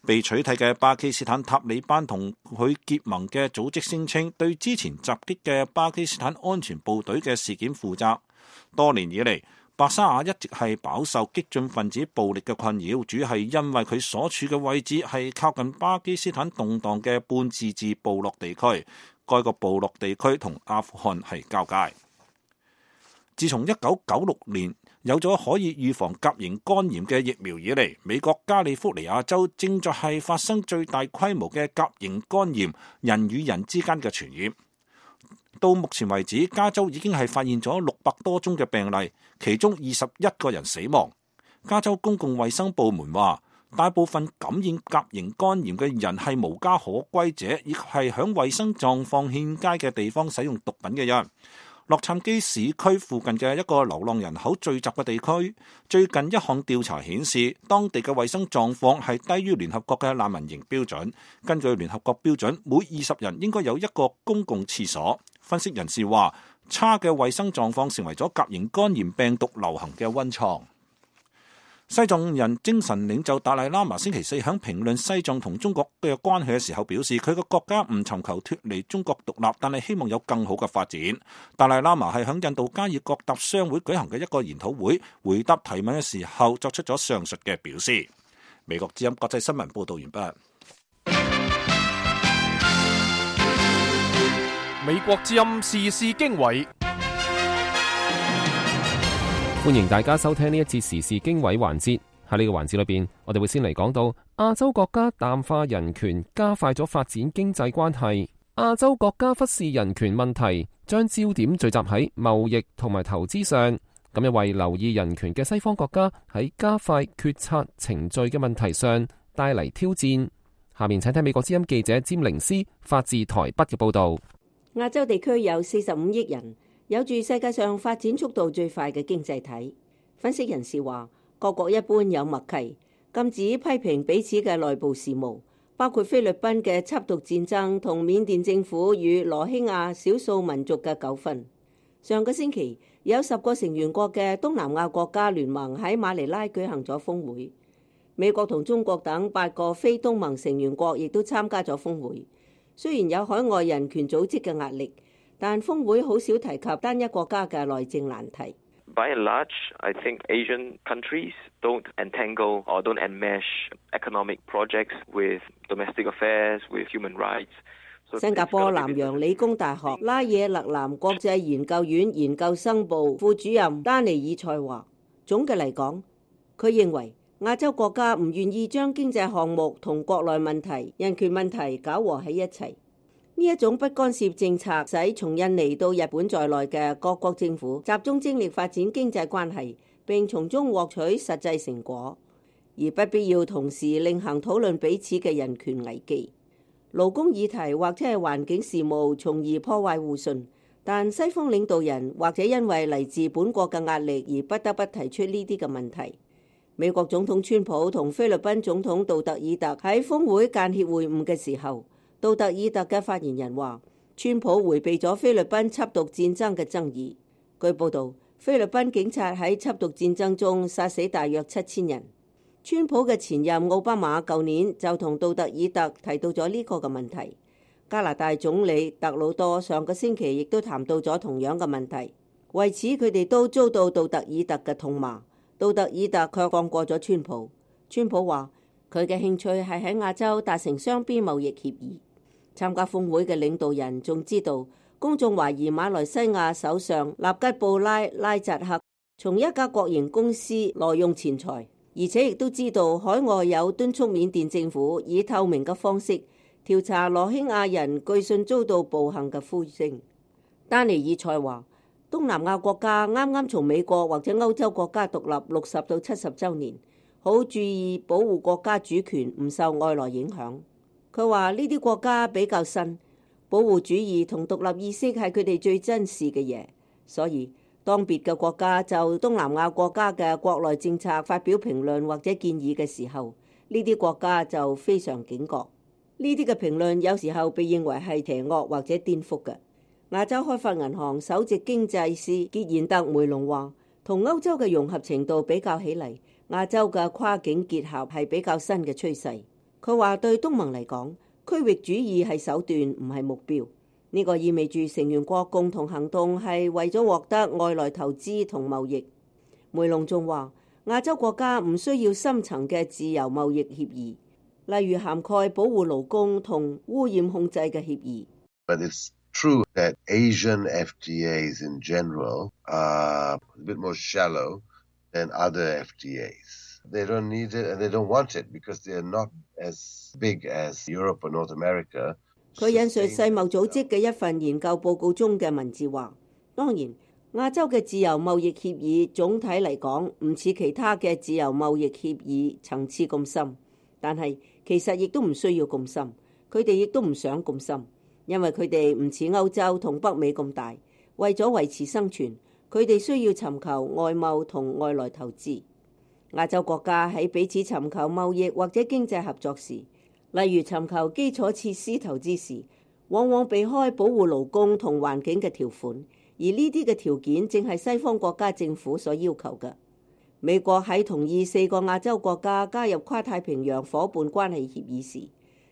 被取締嘅巴基斯坦塔利班同佢結盟嘅組織聲稱，對之前襲擊嘅巴基斯坦安全部隊嘅事件負責。多年以嚟，白沙瓦一直係飽受激進分子暴力嘅困擾，主要係因為佢所處嘅位置係靠近巴基斯坦動盪嘅半自治部落地區，該個部落地區同阿富汗係交界。自從一九九六年有咗可以預防甲型肝炎嘅疫苗以嚟，美國加利福尼亞州正在係發生最大規模嘅甲型肝炎人與人之間嘅傳染。到目前為止，加州已經係發現咗六百多宗嘅病例，其中二十一個人死亡。加州公共衛生部門話，大部分感染甲型肝炎嘅人係無家可歸者，以及係響衛生狀況欠佳嘅地方使用毒品嘅人。洛杉磯市區附近嘅一個流浪人口聚集嘅地區，最近一項調查顯示，當地嘅衛生狀況係低於聯合國嘅難民營標準。根據聯合國標準，每二十人應該有一個公共廁所。分析人士話，差嘅衛生狀況成為咗甲型肝炎病毒流行嘅溫床。西藏人精神領袖達賴喇嘛星期四喺評論西藏同中國嘅關係嘅時候表示，佢個國家唔尋求脫離中國獨立，但係希望有更好嘅發展。達賴喇嘛係喺印度加爾各答商會舉行嘅一個研討會回答提問嘅時候作出咗上述嘅表示。美國之音國際新聞報道完畢。美國之音時事經緯。歡迎大家收聽呢一節時事經緯環節。喺呢個環節裏邊，我哋會先嚟講到亞洲國家淡化人權，加快咗發展經濟關係。亞洲國家忽視人權問題，將焦點聚集喺貿易同埋投資上，咁又為留意人權嘅西方國家喺加快決策程序嘅問題上帶嚟挑戰。下面請聽美國之音記者詹寧斯發自台北嘅報道。亞洲地區有四十五億人，有住世界上發展速度最快嘅經濟體。分析人士話，各國一般有默契，禁止批評彼此嘅內部事務，包括菲律賓嘅緝毒戰爭同緬甸政府與羅興亞少數民族嘅糾紛。上個星期，有十個成員國嘅東南亞國家聯盟喺馬尼拉舉行咗峰會，美國同中國等八個非東盟成員國亦都參加咗峰會。雖然有海外人權組織嘅壓力，但峰會好少提及單一國家嘅內政難題。By and large, I think Asian countries don't entangle or don't enmesh economic projects with domestic affairs, with human rights. 新加坡南洋理工大學拉惹勒南國際研究院研究生部副主任丹尼爾賽話，總嘅嚟講，佢認為亞洲國家唔願意將經濟項目同國內問題、人權問題搞和喺一齊。呢一種不干涉政策，使從印尼到日本在內嘅各國政府集中精力發展經濟關係，並從中獲取實際成果，而不必要同時另行討論彼此嘅人權危機、勞工議題或者係環境事務，從而破壞互信。但西方領導人或者因為嚟自本國嘅壓力而不得不提出呢啲嘅問題。美國總統川普同菲律賓總統杜特爾特喺峰會間歇會晤嘅時候，杜特爾特嘅發言人話，川普迴避咗菲律賓緝毒戰爭嘅爭議。據報道，菲律賓警察喺緝毒戰爭中殺死大約七千人。川普嘅前任奧巴馬舊年就同杜特爾特提到咗呢個嘅問題。加拿大總理特魯多上個星期亦都談到咗同樣嘅問題。為此，佢哋都遭到杜特爾特嘅痛罵。杜特爾特卻放過咗川普。川普話佢嘅興趣係喺亞洲達成雙邊貿易協議。參加峰會嘅領導人仲知道，公眾懷疑馬來西亞首相納吉布拉拉扎克從一家國營公司挪用錢財，而且亦都知道海外有敦促緬甸政府以透明嘅方式調查羅興亞人據信遭到暴行嘅呼聲。丹尼爾賽話，東南亞國家啱啱從美國或者歐洲國家獨立六十到七十週年，好注意保護國家主權唔受外來影響。佢話呢啲國家比較新，保護主義同獨立意識係佢哋最珍視嘅嘢，所以當別嘅國家就東南亞國家嘅國內政策發表評論或者建議嘅時候，呢啲國家就非常警覺。呢啲嘅評論有時候被認為係邪惡或者顛覆嘅。亞洲開發銀行首席經濟師傑賢特梅隆話，同歐洲嘅融合程度比較起嚟，亞洲嘅跨境結合係比較新嘅趨勢。佢話對東盟嚟講，區域主義係手段，唔係目標。呢個意味住成員國共同行動係為咗獲得外來投資同貿易。梅隆仲話，亞洲國家唔需要深層嘅自由貿易協議，例如涵蓋保護勞工同污染控制嘅協議。But it's true that Asian F T As in general are a bit more shallow than other F T As. They don't need it and they don't want it because they are not as big as Europe or North America. 佢引述世貿組織嘅一份研究報告中嘅文字話，當然亞洲嘅自由貿易協議總體嚟講唔似其他嘅自由貿易協議層次咁深，但係其實亦都唔需要咁深，佢哋亦都唔想咁深，因為佢哋唔似歐洲同北美咁大，為咗維持生存，佢哋需要尋求外貿同外來投資。亞洲國家喺彼此尋求貿易或者經濟合作時，例如尋求基礎設施投資時，往往避開保護勞工同環境嘅條款，而呢啲嘅條件正係西方國家政府所要求嘅。美國喺同意四個亞洲國家加入跨太平洋夥伴關係協議時，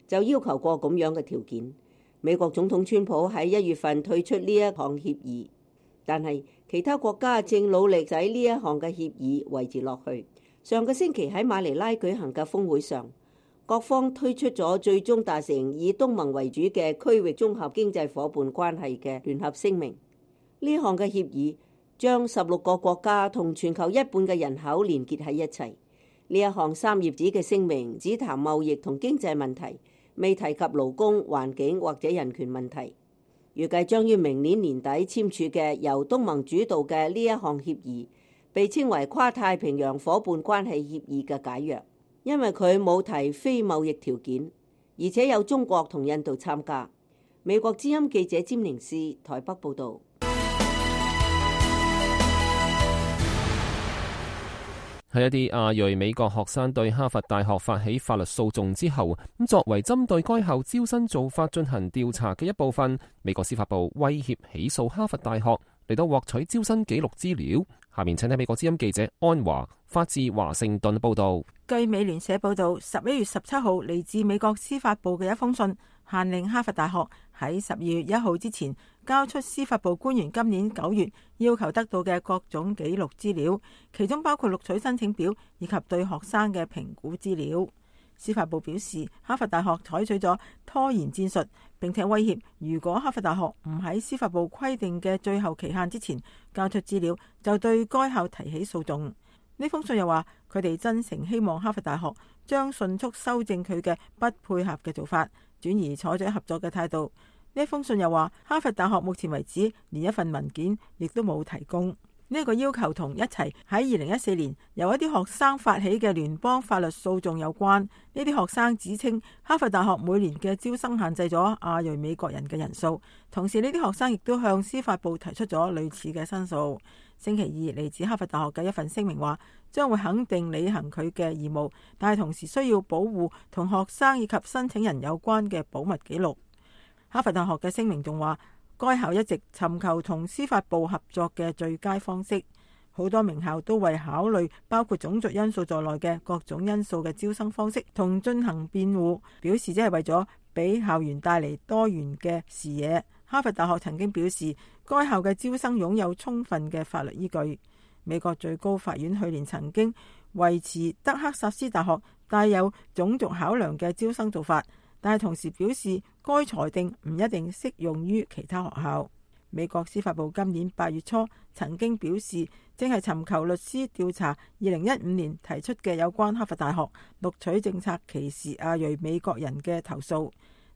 就要求過咁樣嘅條件。美國總統川普喺一月份退出呢一項協議，但係其他國家正努力使呢一項嘅協議維持落去。上個星期喺馬尼拉舉行嘅峰會上，各方推出咗最終達成以東盟為主嘅區域綜合經濟夥伴關係嘅聯合聲明。呢項嘅協議將十六個國家同全球一半嘅人口連結喺一齊。呢一項三頁紙嘅聲明只談貿易同經濟問題，未提及勞工、環境或者人權問題。預計將於明年年底簽署嘅由東盟主導嘅呢一項協議，被稱為跨太平洋夥伴關係協議嘅解約，因為佢冇提非貿易條件，而且有中國同印度參加。美國之音記者詹寧斯台北報導。喺一啲亞裔美國學生對哈佛大學發起法律訴訟之後，咁作為針對該校招生做法進行調查嘅一部分，美國司法部威脅起訴哈佛大學嚟到獲取招生記錄資料。下面請睇美國之音記者安華發自華盛頓報道。據美聯社報道，十一月十七號嚟自美國司法部嘅一封信，限令哈佛大學喺十二月一號之前交出司法部官員今年九月要求得到嘅各種記錄資料，其中包括錄取申請表以及對學生嘅評估資料。司法部表示，哈佛大學採取咗拖延戰術，並且威脅如果哈佛大學唔喺司法部規定嘅最後期限之前交出資料，就對該校提起訴訟。呢封信又話，佢哋真誠希望哈佛大學將迅速修正佢嘅不配合嘅做法，轉而採取合作嘅態度。呢封信又話，哈佛大學目前為止連一份文件亦都冇提供。呢個要求同一齊喺二零一四年由一啲學生發起嘅聯邦法律訴訟有關。呢啲學生指稱哈佛大學每年嘅招生限制咗亞裔美國人嘅人數，同時呢啲學生亦都向司法部提出咗類似嘅申訴。星期二嚟自哈佛大學嘅一份聲明話，將會肯定履行佢嘅義務，但係同時需要保護同學生以及申請人有關嘅保密記錄。哈佛大學嘅聲明仲話，該校一直尋求同司法部合作嘅最佳方式，好多名校都為考慮包括種族因素在內嘅各種因素嘅招生方式同進行辯護，表示只係為咗俾校園帶嚟多元嘅視野。哈佛大學曾經表示，該校嘅招生擁有充分嘅法律依據。美國最高法院去年曾經維持德克薩斯大學帶有種族考量嘅招生做法，但係同時表示該裁定唔一定適用於其他學校。美國司法部今年八月初曾經表示，正係尋求律師調查二零一五年提出嘅有關哈佛大學錄取政策歧視亞裔美國人嘅投訴，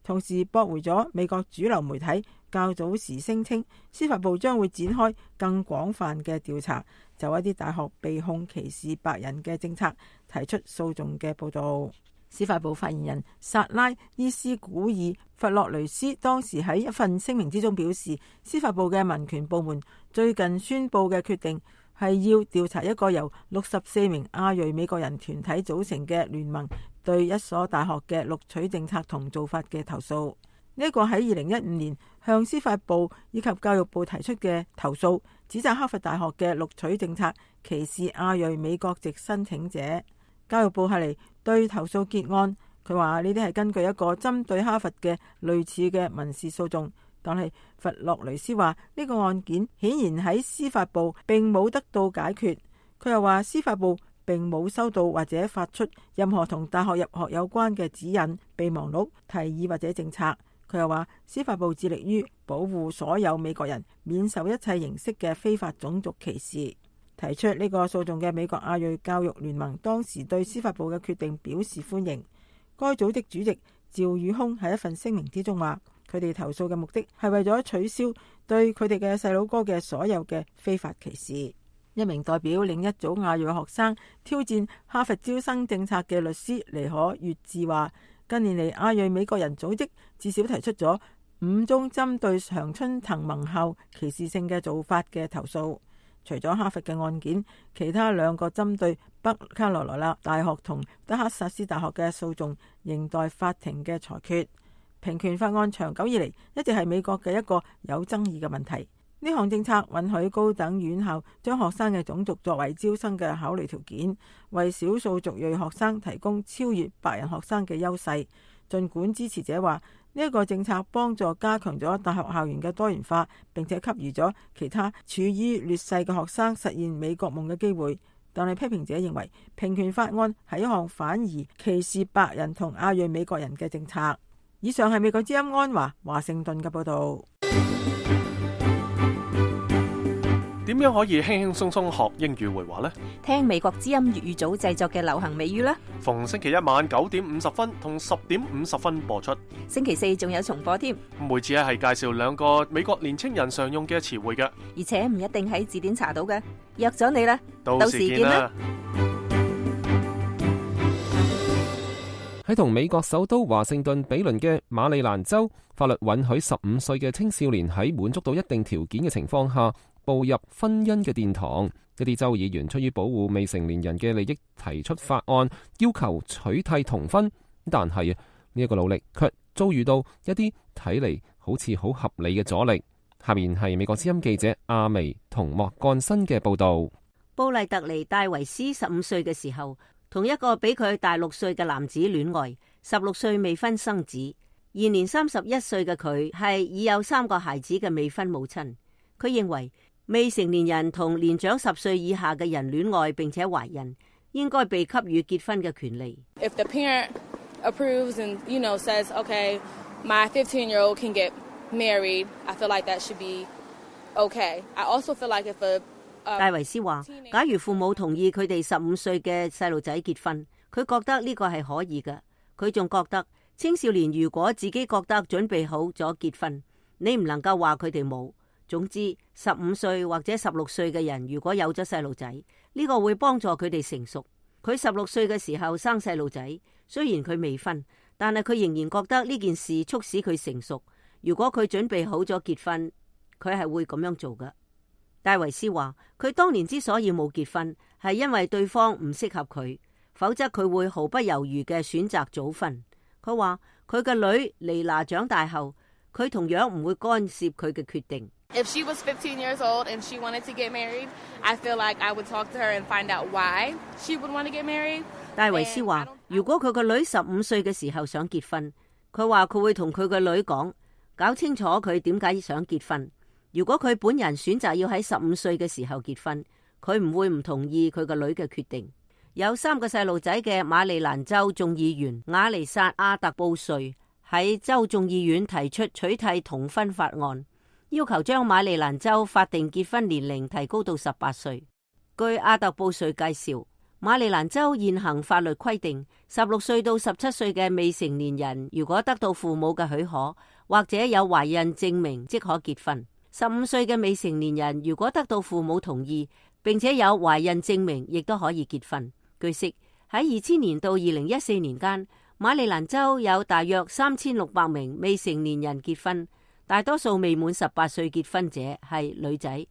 同時駁回咗美國主流媒體較早時聲稱司法部將會展開更廣泛嘅調查，就一啲大學被控歧視白人嘅政策提出訴訟嘅報導。司法部發言人薩拉伊斯古爾弗洛雷斯當時喺一份聲明之中表示，司法部嘅民權部門最近宣布嘅決定係要調查一個由六十四名亞裔美國人團體組成嘅聯盟對一所大學嘅錄取政策同做法嘅投訴。呢一個喺二零一五年向司法部以及教育部提出嘅投訴，指責哈佛大學嘅錄取政策歧視亞裔美國籍申請者。教育部係嚟對投訴結案，佢話呢啲係根據一個針對哈佛嘅類似嘅民事訴訟，但係弗洛雷斯話呢個案件顯然喺司法部並冇得到解決。佢又話司法部並冇收到或者發出任何同大學入學有關嘅指引、備忘錄、提議或者政策。佢又話司法部致力於保護所有美國人免受一切形式嘅非法種族歧視。提出呢個訴訟嘅美國亞裔教育聯盟當時對司法部嘅決定表示歡迎。該組織主席趙宇空喺一份聲明之中話，佢哋投訴嘅目的係為咗取消對佢哋嘅細佬哥嘅所有嘅非法歧視。一名代表另一組亞裔學生挑戰哈佛招生政策嘅律師尼可月智話，近年嚟亞裔美國人組織至少提出咗五宗針對常春藤盟校歧視性嘅做法嘅投訴。除咗哈佛嘅案件，其他兩個針對北卡羅來納大學同德克薩斯大學嘅訴訟仍待法庭嘅裁決。平權法案長久以嚟一直係美國嘅一個有爭議嘅問題。呢項政策允許高等院校將學生嘅種族作為招生嘅考慮條件，為少數族裔學生提供超越白人學生嘅優勢。儘管支持者話呢一個政策幫助加強咗大學校園嘅多元化，並且給予咗其他處於劣勢嘅學生實現美國夢嘅機會，但係批評者認為平權法案係一項反而歧視白人同亞裔美國人嘅政策。以上係美國之音安華華盛頓嘅報導。點樣可以輕輕鬆鬆學英語會話呢？聽美國之音粵語組製作嘅流行美語啦。逢星期一晚九點五十分同十點五十分播出。星期四仲有重播添。每次咧係介紹兩個美國年青人常用嘅詞彙嘅，而且唔一定喺字典查到嘅。約咗你啦，到時見啦。喺同美國首都華盛頓比鄰嘅馬里蘭州，法律允許十五歲嘅青少年喺滿足到一定條件嘅情況下步入婚姻嘅殿堂。一啲州議員出於保護未成年人嘅利益提出法案，要求取締童婚，但係呢一個努力卻遭遇到一啲睇嚟好似好合理嘅阻力。下面係美國之音記者阿薇同莫幹新嘅報道。布麗特尼戴維斯十五歲嘅時候，同一個比佢大六歲嘅男子戀愛，十六歲未婚生子。現年三十一歲嘅佢係已有三個孩子嘅未婚母親。佢認為未成年人同年長十歲以下嘅人戀愛並且懷孕，應該被給予結婚嘅權利。If the parent approves and you know says, okay, my fifteen-year-old can get married, I feel like that should be okay. I also feel like if a 戴維斯話，假如父母同意佢哋十五歲嘅細路仔結婚，佢覺得呢個係可以嘅。佢仲覺得青少年如果自己覺得準備好咗結婚，你唔能夠話佢哋冇。總之，十五歲或者十六歲嘅人如果有咗細路仔，呢個會幫助佢哋成熟。佢十六歲嘅時候生細路仔，雖然佢未婚，但係佢仍然覺得呢件事促使佢成熟。如果佢準備好咗結婚，佢係會咁樣做嘅。戴維斯話，佢當年之所以冇結婚，係因為對方唔適合佢，否則佢會毫不猶豫嘅選擇早婚。佢話佢嘅女妮娜長大後，佢同樣唔會干涉佢嘅決定。If she was fifteen years old and she wanted to get married, I feel like I would talk to her and find out why she would want to get married. 戴維斯話，如果佢個女十五歲嘅時候想結婚，佢話佢會同佢個女講，搞清楚佢點解想結婚。如果佢本人選擇要喺十五歲嘅時候結婚，佢唔會唔同意佢個女嘅決定。有三個細路仔嘅馬里蘭州眾議員亞尼薩阿特布瑞喺州眾議院提出取締童婚法案，要求將馬里蘭州法定結婚年齡提高到十八歲。據阿特布瑞介紹，馬里蘭州現行法律規定，十六歲到十七歲嘅未成年人如果得到父母嘅許可，或者有懷孕證明，即可結婚。十五歲嘅未成年人如果得到父母同意，並且有懷孕證明，亦都可以結婚。據悉，喺二千年到二零一四年間，馬里蘭州有大約三千六百名未成年人結婚，大多數未滿十八歲結婚者係女仔，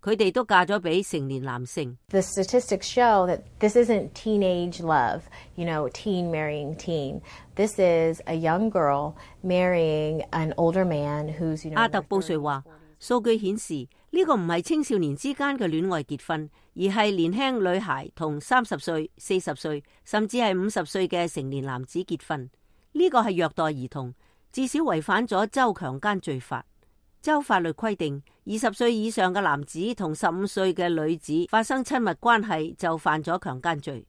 佢哋都嫁咗俾成年男性。The statistics show that this isn't teenage love, you know, teen marrying teen. This is a young girl marrying an older man who's, you know. 阿特布瑞話，數據顯示呢個唔係青少年之間嘅戀愛結婚，而係年輕女孩同三十歲、四十歲甚至係五十歲嘅成年男子結婚。呢個係虐待兒童，至少違反咗州強姦罪法。州法律規定，二十歲以上嘅男子同十五歲嘅女子發生親密關係就犯咗強姦罪。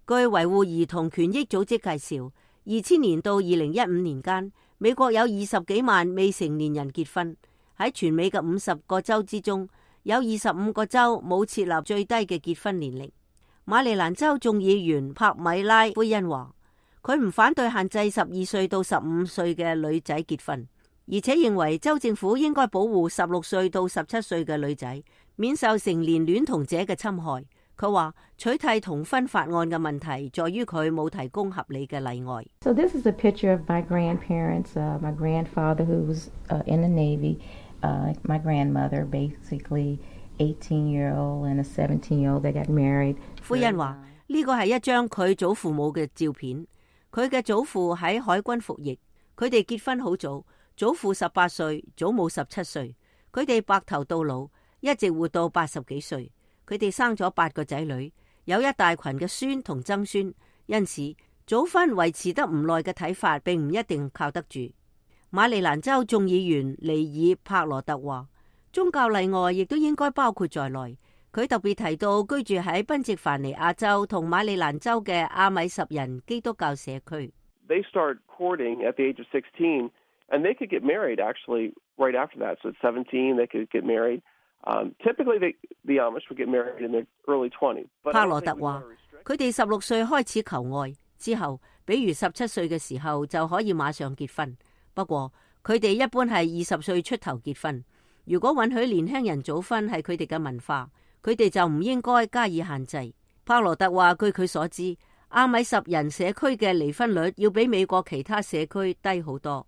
據維護兒童權益組織介紹，二千年到二零一五年間，美國有二十幾萬未成年人結婚。喺全美嘅五十個州之中，有二十五個州冇設立最低嘅結婚年齡。馬里蘭州眾議員帕米拉·奎恩話，佢唔反對限制十二歲到十五歲嘅女仔結婚，而且認為州政府應該保護十六歲到十七歲嘅女仔免受成年戀童者嘅侵害。佢話取締同婚法案嘅問題在於佢冇提供合理嘅例外。So this is a picture of my grandparents, uh, my grandfather who was uh, in the Navy, uh, my grandmother, basically eighteen-year-old and a seventeen-year-old that got married. 夫人話呢個係一張佢祖父母嘅照片，佢嘅祖父喺海軍服役，佢哋結婚好早，祖父十八歲，祖母十七歲，佢哋白頭到老，一直活到八十幾歲。佢哋生咗八個仔女，有一大群嘅孫同曾孫，因此早婚維持得唔耐嘅睇法並唔一定靠得住。馬里蘭州眾議員尼爾帕羅特話，宗教例外亦都應該包括在內。佢特別提到居住喺賓夕凡尼亞州同馬里蘭州嘅阿米什人基督教社區。They start courting at the age of sixteen, and they could get married actually right after that. So at seventeen, they could get married. Um, typically, they, the Amish would get married in their early twenties. 帕羅特話，佢哋十六歲開始求愛，之後，比如十七歲嘅時候就可以馬上結婚。不過，佢哋一般係二十歲出頭結婚。如果允許年輕人早婚係佢哋嘅文化，佢哋就唔應該加以限制。帕羅特話，據佢所知，阿米什人社區嘅離婚率要比美國其他社區低好多。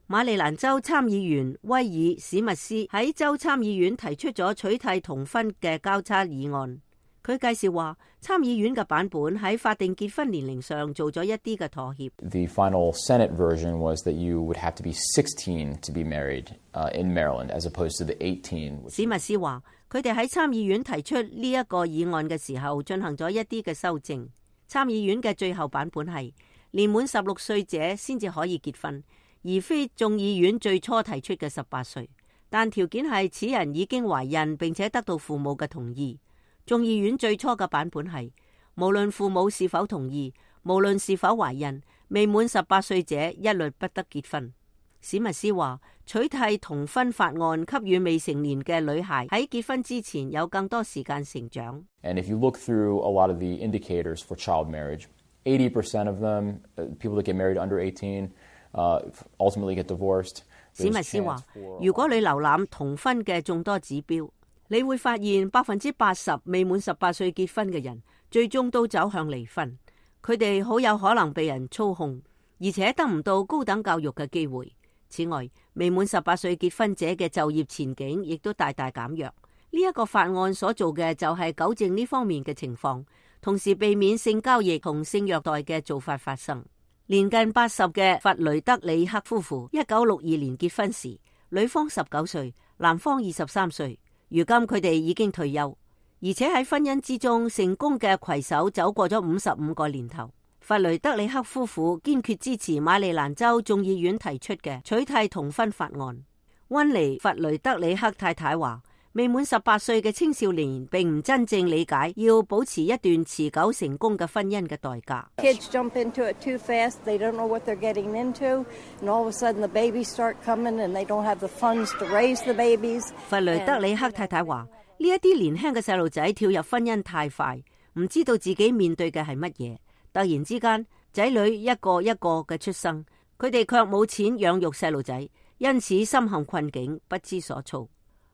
馬里蘭州參議員威爾史密斯喺州參議院提出咗取締同婚嘅交叉議案。佢介紹話，參議院嘅版本喺法定結婚年齡上做咗一啲嘅妥協。The final Senate version was that you would have to be sixteen to be married uh, in Maryland, as opposed to the eighteen. 史密斯話，佢哋喺參議院提出呢一個議案嘅時候，進行咗一啲嘅修正。參議院嘅最後版本係年滿十六歲者先至可以結婚，而非眾議院最初提出嘅十八歲，但條件係此人已經懷孕並且得到父母嘅同意。眾議院最初嘅版本係無論父母是否同意，無論是否懷孕，未滿十八歲者一律不得結婚。史密斯話，取締同婚法案給予未成年嘅女孩喺結婚之前有更多時間成長。And if you look through a lot of the indicators for child marriage, eighty percent of them, people that get married under eighteen, Uh, ultimately get divorced. 史密斯話，如果你瀏覽同婚嘅眾多指標，你會發現百分之八十未滿十八歲結婚嘅人，最終都走向離婚。佢哋好有可能被人操控，而且得唔到高等教育嘅機會。此外，未滿十八歲結婚者嘅就業前景亦都大大減弱。呢、這、一個法案所做嘅就係糾正呢方面嘅情況，同時避免性交易同性虐待嘅做法發生。年近八十嘅弗雷德里克夫婦，一九六二年結婚時，女方十九歲，男方二十三歲。如今佢哋已經退休，而且喺婚姻之中成功嘅攜手走過咗五十五個年頭。弗雷德里克夫婦堅決支持馬里蘭州眾議院提出嘅取締同婚法案。溫尼弗雷德里克太太話，未滿十八歲嘅青少年並唔真正理解要保持一段持久成功嘅婚姻嘅代價。Kids jump into it too fast. They don't know what they're getting into, and all of a sudden the babies start coming, and they don't have the funds to raise the babies. 弗雷德里克太太話：呢一啲年輕嘅細路仔跳入婚姻太快，唔知道自己面對嘅係乜嘢。突然之間，仔女一個一個嘅出生，佢哋卻冇錢養育細路仔，因此深陷困境，不知所措。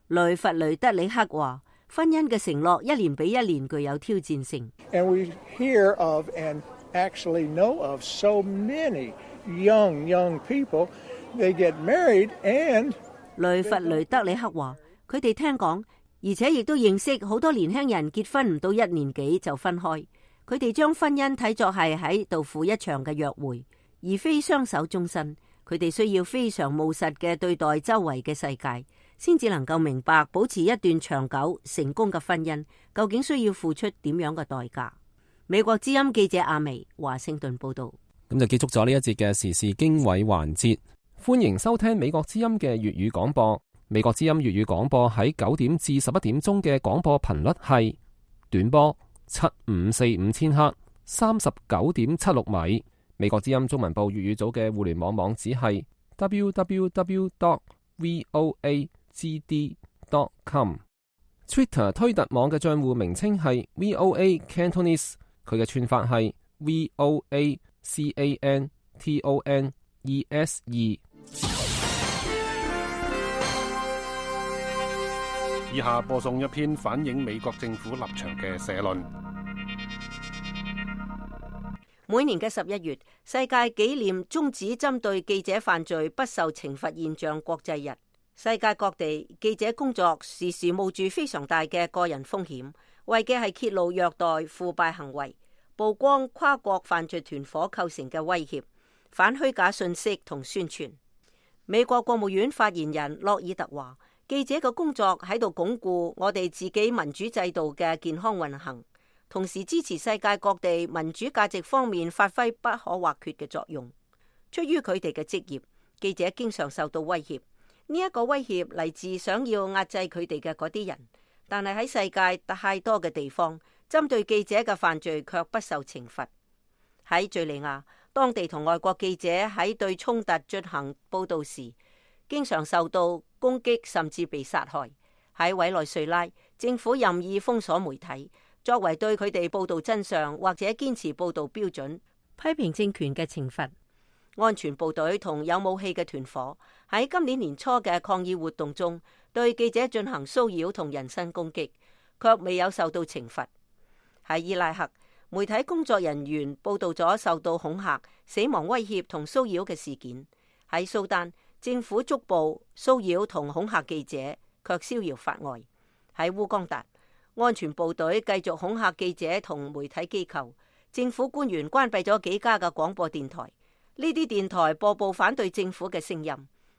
雷弗雷德里克話：婚姻嘅承諾一年比一年具有挑戰性。And we hear of and actually know of so many young young people, they get married and 雷弗雷德里克話：佢哋聽講，而且亦都認識好多年輕人結婚唔到一年幾就分開。佢哋將婚姻睇作係喺度赴一場嘅約會，而非相守終身。佢哋需要非常務實嘅對待周圍嘅世界，先至能夠明白保持一段長久成功嘅婚姻究竟需要付出點樣嘅代價。美國之音記者阿薇華盛頓報道。咁就結束咗呢一節嘅時事經緯環節。歡迎收聽美國之音嘅粵語廣播。美國之音粵語廣播喺九點至十一點鐘嘅廣播頻率係短波七五四五千赫，三十九點七六米。美國之音中文部粵語組嘅互聯網網址係 double-u double-u double-u dot voa g d dot com。Twitter 推特網嘅賬戶名稱係 V O A Cantonese， 佢嘅串法係 V O A C A N T O N E S E。以下播送一篇反映美國政府立場嘅社論。每年嘅十一月，世界紀念終止針對記者犯罪不受懲罰現象國際日。世界各地記者工作時時冒住非常大嘅個人風險，為嘅係揭露虐待、腐敗行為，曝光跨國犯罪團伙構成嘅威脅，反虛假信息同宣傳。美國國務院發言人洛爾特話，記者嘅工作喺度鞏固我哋自己民主制度嘅健康運行，同時支持世界各地民主價值方面發揮不可或缺嘅作用。出於佢哋嘅職業，記者經常受到威脅。呢一個威脅嚟自想要壓制佢哋嘅嗰啲人，但係喺世界太多嘅地方，針對記者嘅犯罪卻不受懲罰。喺敘利亞，當地同外國記者喺對衝突進行報道時，經常受到攻擊，甚至被殺害。喺委內瑞拉，政府任意封鎖媒體，作為對佢哋報道真相或者堅持報道標準、批評政權嘅懲罰。安全部隊同有武器嘅團伙喺今年年初嘅抗議活動中，對記者進行騷擾同人身攻擊，卻未有受到懲罰。喺伊拉克，媒體工作人員報道咗受到恐嚇、死亡威脅同騷擾嘅事件。喺蘇丹，政府捉捕、騷擾同恐嚇記者，卻逍遙法外。喺烏干達，安全部隊繼續恐嚇記者同媒體機構，政府官員關閉咗幾家嘅廣播電台。呢啲電台播報反對政府嘅聲音。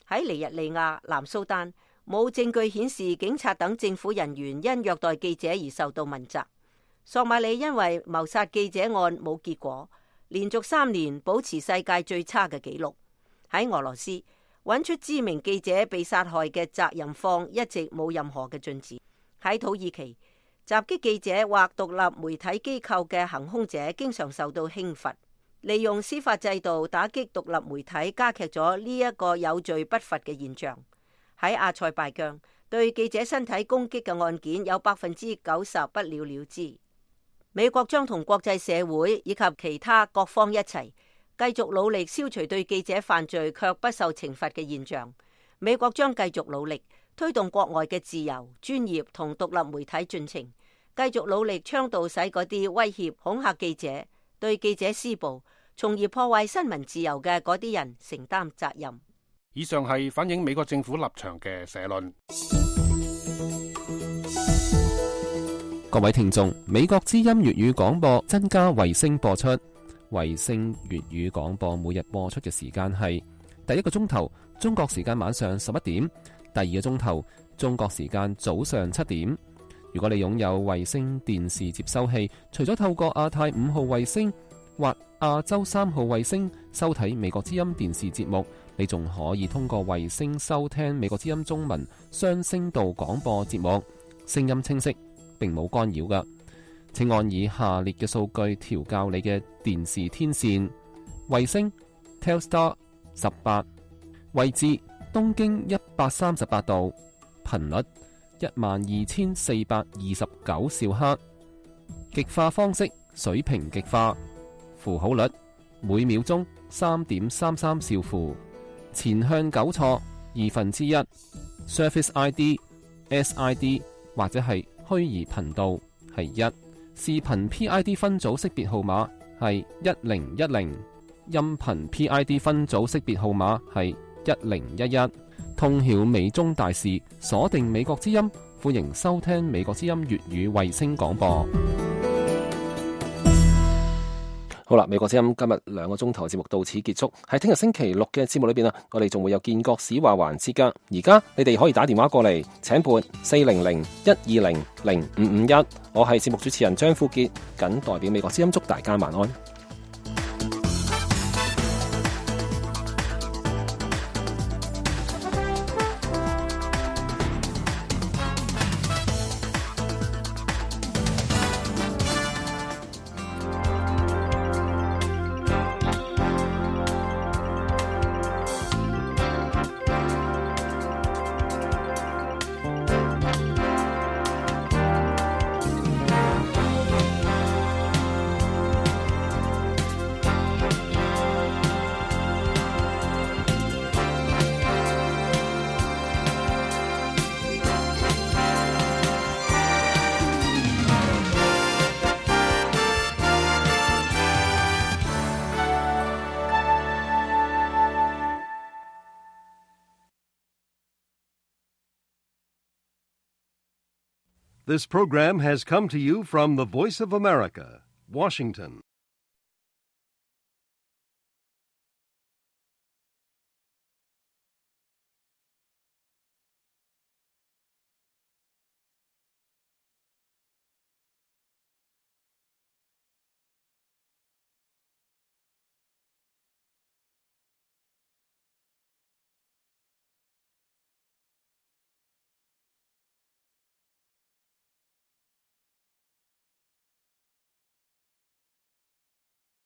喺尼日利亞、南蘇丹，冇證據顯示警察等政府人員因虐待記者而受到問責。索馬里因為謀殺記者案冇結果，連續三年保持世界最差嘅紀錄。喺俄羅斯，揾出知名記者被殺害嘅責任方一直冇任何嘅進展。喺土耳其，襲擊記者或獨立媒體機構嘅行兇者經常受到輕罰。利用司法制度打擊獨立媒體，加劇咗呢一個有罪不罰嘅現象。喺阿塞拜疆，對記者身體攻擊嘅案件有百分之九十不了了之。美國將同國際社會以及其他各方一齊，繼續努力消除對記者犯罪卻不受懲罰嘅現象。美國將繼續努力推動國外嘅自由、專業同獨立媒體進程，繼續努力倡導使嗰啲威脅、恐嚇記者、對記者施暴，從而破壞新聞自由嘅嗰啲人承擔責任。以上係反映美國政府立場嘅社論。各位聽眾，美國之音粵語廣播增加衛星播出。衛星粵語廣播每日播出嘅時間係第一個鐘頭中國時間晚上十一點，第二個鐘頭中國時間早上七點。如果你擁有衛星電視接收器，除咗透過亞太五號衛星或亞洲三號衛星收睇美國之音電視節目，你仲可以通過衛星收聽美國之音中文雙聲道廣播節目，聲音清晰，並冇干擾㗎。請按以下列嘅數據調校你嘅電視天線：衛星 Telstar 十八，位置東經一百三十八度，頻率一萬二千四百二十九兆赫，極化方式水平極化，符號率每秒鐘三點三三兆符，前向糾錯二分之一 ，Surface I D、S I D 或者係虛擬頻道係一，視頻 P I D 分組識別號碼係一零一零，音頻 P I D 分組識別號碼係一零一一。通曉美中大事，鎖定美國之音，歡迎收聽美國之音粵語衛星廣播。好啦，美國之音今日兩個鐘頭節目到此結束。喺聽日星期六嘅節目裏邊啊，我哋仲會有建國史話環節噶。而家你哋可以打電話過嚟，請撥四零零一二零零五五一。我係節目主持人張富杰，謹代表美國之音祝大家晚安。This program has come to you from the Voice of America, Washington.